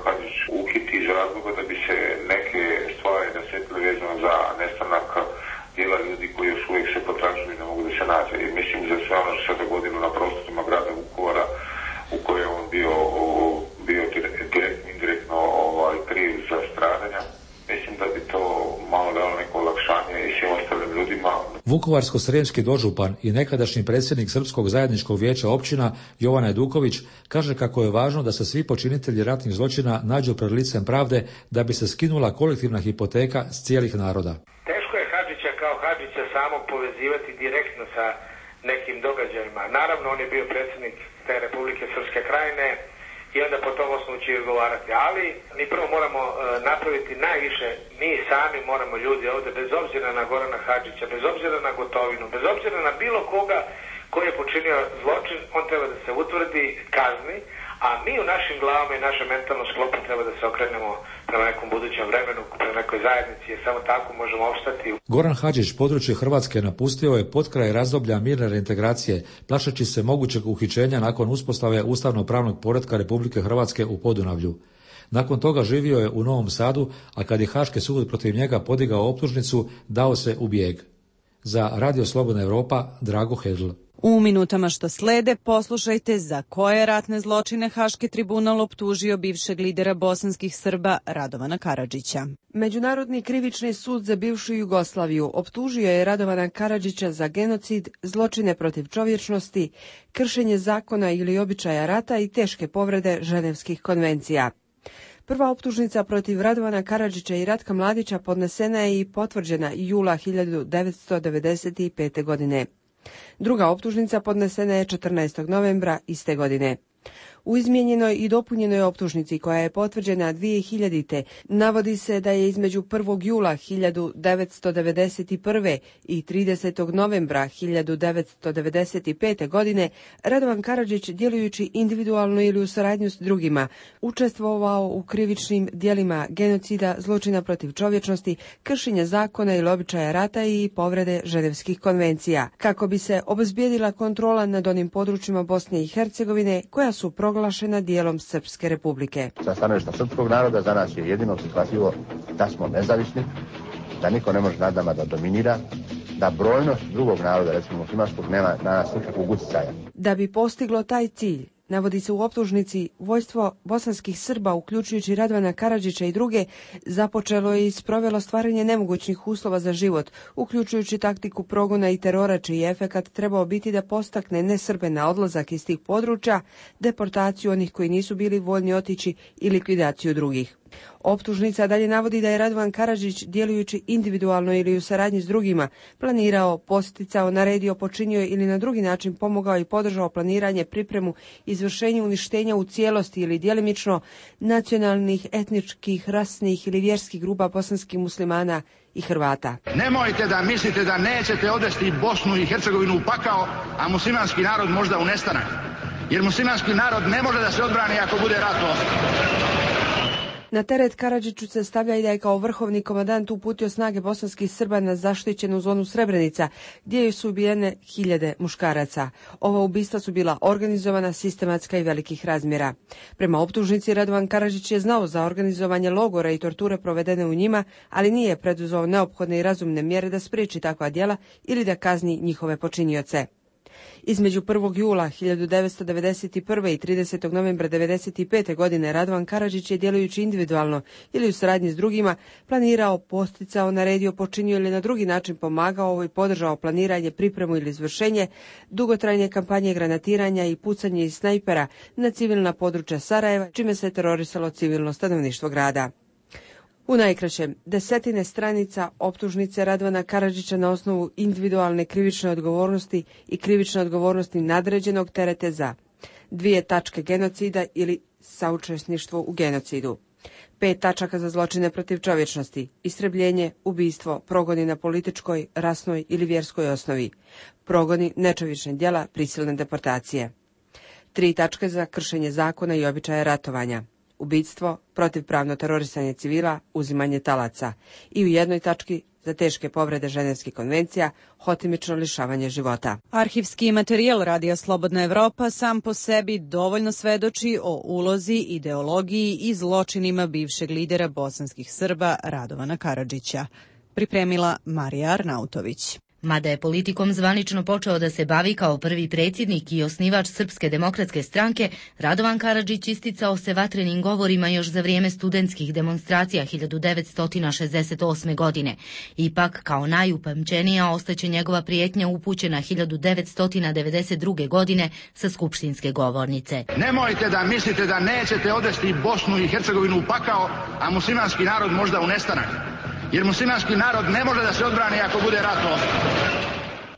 [SPEAKER 18] Vukovarsko-srijemski dožupan i nekadašnji predsjednik Srpskog zajedničkog vijeća općina Jovan Ajduković kaže kako je važno da se svi počinitelji ratnih zločina nađu pred licem pravde da bi se skinula kolektivna hipoteka s cijelih naroda.
[SPEAKER 2] Teško je Hadžića kao Hadžića samo povezivati direktno sa nekim događajima. Naravno, on je bio predsjednik te Republike Srpske krajine i onda po tom osnovu će odgovarati. Ali mi prvo moramo uh, napraviti najviše, mi sami moramo ljudi ovdje, bez obzira na Gorana Hadžića, bez obzira na Gotovinu, bez obzira na bilo koga koji je počinio zločin, on treba da se utvrdi, kazni, a mi u našim glavama i našem mentalnom sklopu treba da se okrenemo prema nekom budućem vremenu, prema nekoj zajednici, jer samo tako možemo opstati.
[SPEAKER 18] Goran Hadžić područje Hrvatske napustio je potkraj razdoblja mirne reintegracije, plašeći se mogućeg uhićenja nakon uspostave ustavno-pravnog poretka Republike Hrvatske u Podunavlju. Nakon toga živio je u Novom Sadu, a kad je Haški sud protiv njega podigao optužnicu, dao se u bijeg. Za Radio Slobodna Europa, Drago Hedl.
[SPEAKER 1] U minutama što slede poslušajte za koje ratne zločine Haški tribunal optužio bivšeg lidera bosanskih Srba Radovana Karadžića.
[SPEAKER 5] Međunarodni krivični sud za bivšu Jugoslaviju optužio je Radovana Karadžića za genocid, zločine protiv čovječnosti, kršenje zakona ili običaja rata i teške povrede Ženevskih konvencija. Prva optužnica protiv Radovana Karadžića i Ratka Mladića podnesena je i potvrđena jula hiljadu devetsto devedeset pete. godine. Druga optužnica podnesena je četrnaestog novembra iste godine. U izmijenjenoj i dopunjenoj optužnici koja je potvrđena dvije hiljadite. navodi se da je između prvog jula hiljadu devetsto devedeset prve. i tridesetog novembra hiljadu devetsto devedeset pete. godine Radovan Karadžić, djelujući individualno ili u saradnju s drugima, učestvovao u krivičnim djelima genocida, zločina protiv čovječnosti, kršenja zakona ili običaja rata i povrede Ženevskih konvencija, kako bi se obezbijedila kontrola nad onim područjima Bosne i Hercegovine koja su proglašena dijelom Srpske republike.
[SPEAKER 17] Sa stanovišta srpskog naroda za nas je jedino prihvatljivo da smo nezavisni, da niko ne može nad nama da dominira, da brojnost drugog naroda, recimo muslimanskog, nema na nas nikakvog utjecaja.
[SPEAKER 5] Da bi postiglo taj cilj, navodi se u optužnici, vojstvo bosanskih Srba, uključujući Radovana Karadžića i druge, započelo je i sprovelo stvaranje nemogućnih uslova za život, uključujući taktiku progona i terora, čiji efekat trebao biti da postakne nesrbe na odlazak iz tih područja, deportaciju onih koji nisu bili voljni otići i likvidaciju drugih. Optužnica dalje navodi da je Radovan Karadžić, djelujući individualno ili u saradnji s drugima, planirao, posticao, naredio, počinio ili na drugi način pomogao i podržao planiranje, pripremu, izvršenje uništenja u cijelosti ili djelimično nacionalnih, etničkih, rasnih ili vjerskih grupa bosanskih muslimana i Hrvata.
[SPEAKER 20] Nemojte da mislite da nećete odvesti Bosnu i Hercegovinu u pakao, a muslimanski narod možda u nestanak. Jer muslimanski narod ne može da se odbrani ako bude ratovao.
[SPEAKER 5] Na teret Karadžiću se stavlja i da je kao vrhovni komandant uputio snage bosanskih Srba na zaštićenu zonu Srebrenica, gdje su ubijene hiljade muškaraca. Ova ubistva su bila organizovana, sistematska i velikih razmjera. Prema optužnici, Radovan Karadžić je znao za organizovanje logora i torture provedene u njima, ali nije preduzeo neophodne i razumne mjere da spriječi takva djela ili da kazni njihove počinioce. Između prvog jula hiljadu devetsto devedeset prve. i tridesetog novembra devedeset pete. godine Radovan Karadžić je, djelujući individualno ili u saradnji s drugima, planirao, posticao, naredio, počinio ili na drugi način pomagao i podržao planiranje, pripremu ili izvršenje dugotrajne kampanje granatiranja i pucanje iz snajpera na civilna područja Sarajeva, čime se terorisalo civilno stanovništvo grada. U najkraćem, desetine stranica optužnice Radovana Karadžića na osnovu individualne krivične odgovornosti i krivične odgovornosti nadređenog terete za dvije tačke genocida ili saučesništvo u genocidu, pet tačaka za zločine protiv čovječnosti, istrebljenje, ubijstvo, progoni na političkoj, rasnoj ili vjerskoj osnovi, progoni, nečovječne djela, prisilne deportacije, tri tačke za kršenje zakona i običaja ratovanja, ubijstvo, protivpravno terorisanje civila, uzimanje talaca i u jednoj tački za teške povrede Ženevskih konvencija, hotimično lišavanje života.
[SPEAKER 1] Arhivski materijal Radija Slobodna Evropa sam po sebi dovoljno svedoči o ulozi, ideologiji i zločinima bivšeg lidera bosanskih Srba Radovana Karadžića. Pripremila Marija Arnautović.
[SPEAKER 8] Mada je politikom zvanično počeo da se bavi kao prvi predsjednik i osnivač Srpske demokratske stranke, Radovan Karadžić isticao se vatrenim govorima još za vrijeme studentskih demonstracija hiljadu devetsto šezdeset osme. godine. Ipak, kao najupamćenija ostaće njegova prijetnja upućena hiljadu devetsto devedeset druge. godine sa skupštinske govornice.
[SPEAKER 20] Nemojte da mislite da nećete odvesti Bosnu i Hercegovinu u pakao, a muslimanski narod možda u nestanak. Jer muslimanski narod ne može da se odbrani ako bude ratovao.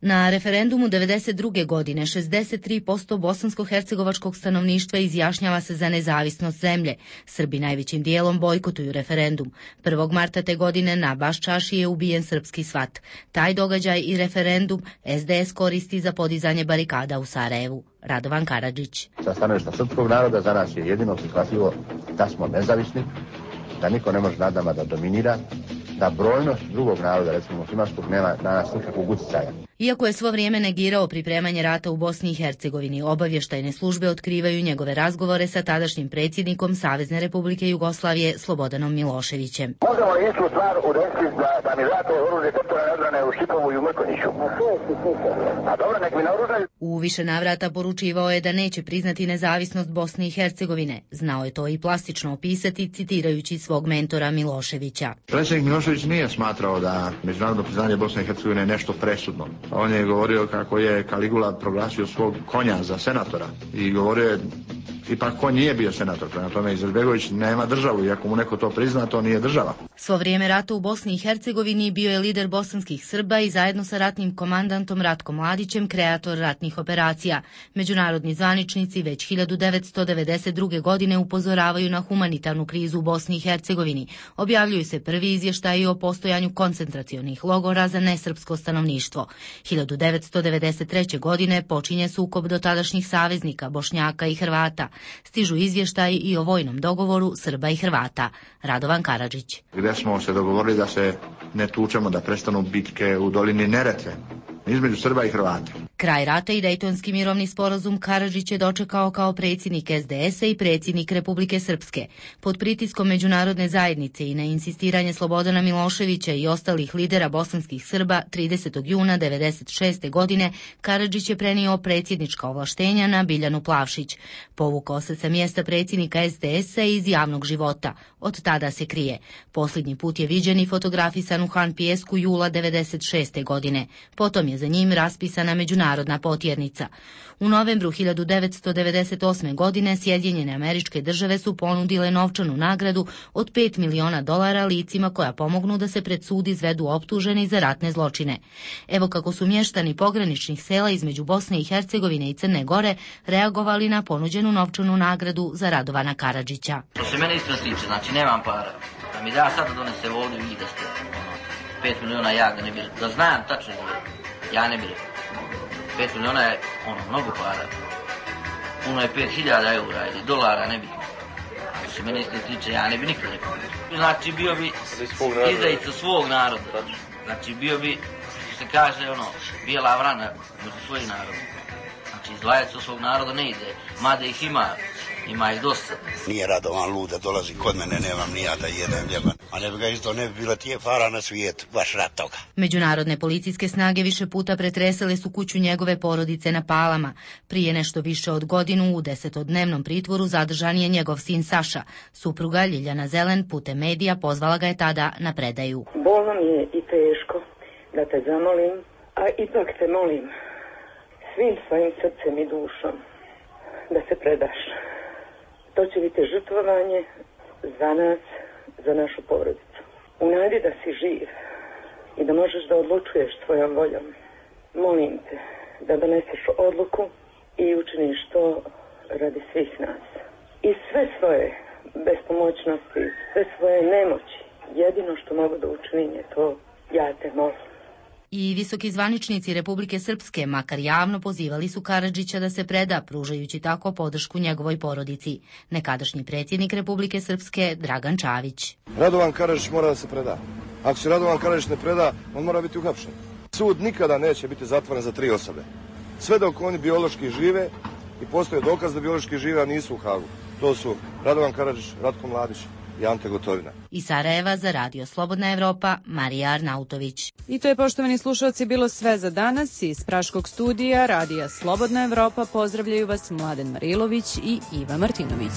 [SPEAKER 8] Na referendumu devedeset druge. godine šezdeset tri posto bosansko-hercegovačkog stanovništva izjašnjava se za nezavisnost zemlje. Srbi najvećim dijelom bojkotuju referendum. prvog marta te godine na Baščaši je ubijen srpski svat. Taj događaj i referendum es de es koristi za podizanje barikada u Sarajevu. Radovan Karadžić.
[SPEAKER 17] Sa stanovišta srpskog naroda za nas je jedino prihvatljivo da smo nezavisni, da niko ne može nad nama da dominira, da brojnost drugog naroda, recimo muslimanskog, nema na nas nikakvog utjecaja.
[SPEAKER 8] Iako je svo vrijeme negirao pripremanje rata u Bosni i Hercegovini, obavještajne službe otkrivaju njegove razgovore sa tadašnjim predsjednikom Savezne Republike Jugoslavije Slobodanom Miloševićem.
[SPEAKER 10] Možemo li istu stvar udesiti da, da mi vrate oružje teritorijalne odbrane u Šipovu i u Mrkonjiću? A dobro, nek mi naoružaju.
[SPEAKER 8] U više navrata poručivao je da neće priznati nezavisnost Bosne i Hercegovine. Znao je to i plastično opisati, citirajući svog mentora Miloševića.
[SPEAKER 20] Predsjednik Milošević nije smatrao da međunarodno priznanje Bosne i Hercegovine je nešto presudno. On je govorio kako je Kaligula proglasio svog konja za senatora i govorio je ipak konj nije bio senator, prema tome Izetbegović nema državu, iako mu neko to prizna, to nije država.
[SPEAKER 8] Svo vrijeme rata u Bosni i Hercegovini bio je lider bosanskih Srba i zajedno sa ratnim komandantom Ratkom Mladićem kreator ratnih operacija. Međunarodni zvaničnici već hiljadu devetsto devedeset druge. godine upozoravaju na humanitarnu krizu u Bosni i Hercegovini. Objavljuju se prvi izvještaji o postojanju koncentracionih logora za nesrpsko stanovništvo. hiljadu devetsto devedeset treće. godine počinje sukob dotadašnjih saveznika, Bošnjaka i Hrvata. Stižu izvještaji i o vojnom dogovoru Srba i Hrvata. Radovan Karadžić.
[SPEAKER 20] Gdje smo se dogovorili da se ne tučemo, da prestanu bitke u dolini Neretve između Srba i Hrvata.
[SPEAKER 8] Kraj rata i Dejtonski mirovni sporazum Karadžić je dočekao kao predsjednik es de es a i predsjednik Republike Srpske. Pod pritiskom međunarodne zajednice i na insistiranje Slobodana Miloševića i ostalih lidera bosanskih Srba tridesetog juna devedeset šeste. godine Karadžić je prenio predsjednička ovlaštenja na Biljanu Plavšić. Povukao se sa mjesta predsjednika es de es a iz javnog života. Od tada se krije. Posljednji put je viđen i fotografisan u Han Pijesku jula devedeset šeste. godine. Potom je za njim raspisana međunarodna potjernica. U novembru hiljadu devetsto devedeset osme. godine Sjedinjene Američke Države su ponudile novčanu nagradu od pet miliona dolara licima koja pomognu da se pred sud izvedu optuženi za ratne zločine. Evo kako su mještani pograničnih sela između Bosne i Hercegovine i Crne Gore reagovali na ponuđenu novčanu nagradu za Radovana Karadžića.
[SPEAKER 12] To se mene isto tiče, znači nemam para. Da mi da sad da donese ovdje i da ste ono, pet miliona ja ga ne bih, da znam tačno ja ne bih rekao. Pet miliona je ono, mnogo para. Puno je pet hiljada eura ili dolara, ne bih. Što se mene isto tiče, ja ne bih nikad rekao. Znači bio bi izdajica svog naroda. Znači bio bi, što se kaže, ono, bijela vrana među svojih naroda. Znači izlajac od svog naroda ne ide, mada ih ima, ima ih dosta.
[SPEAKER 23] Nije Radovan lud da dolazi kod mene, nemam ni ja da jedem ljeban. A ne bi ga isto ne bi bilo tije para na svijetu, baš rat toga.
[SPEAKER 8] Međunarodne policijske snage više puta pretresale su kuću njegove porodice na Palama. Prije nešto više od godinu u desetodnevnom pritvoru zadržan je njegov sin Saša. Supruga Ljiljana Zelen putem medija pozvala ga je tada na predaju.
[SPEAKER 25] Bolno mi je i teško da te zamolim, a ipak te molim svim svojim srcem i dušom da se predaš. To će biti žrtvovanje za nas, za našu porodicu. U nadi da si živ i da možeš da odlučuješ svojom voljom. Molim te da doneseš odluku i učiniš to radi svih nas. I sve svoje bespomoćnosti, sve svoje nemoći, jedino što mogu da učinim je to, ja te molim.
[SPEAKER 8] I visoki zvaničnici Republike Srpske, makar javno, pozivali su Karadžića da se preda, pružajući tako podršku njegovoj porodici. Nekadašnji predsjednik Republike Srpske, Dragan Čavić.
[SPEAKER 26] Radovan Karadžić mora da se preda. Ako se Radovan Karadžić ne preda, on mora biti uhapšen. Sud nikada neće biti zatvoren za tri osobe. Sve dok oni biološki žive i postoje dokaz da biološki žive, a nisu u Hagu. To su Radovan Karadžić, Ratko Mladić i Ante Gotovina.
[SPEAKER 8] Iz Sarajeva za Radio Slobodna Evropa, Marija Arnautović.
[SPEAKER 1] I to je, poštovani slušalci, bilo sve za danas. Iz Praškog studija Radija Slobodna Evropa pozdravljaju vas Mladen Marilović i Iva Martinović.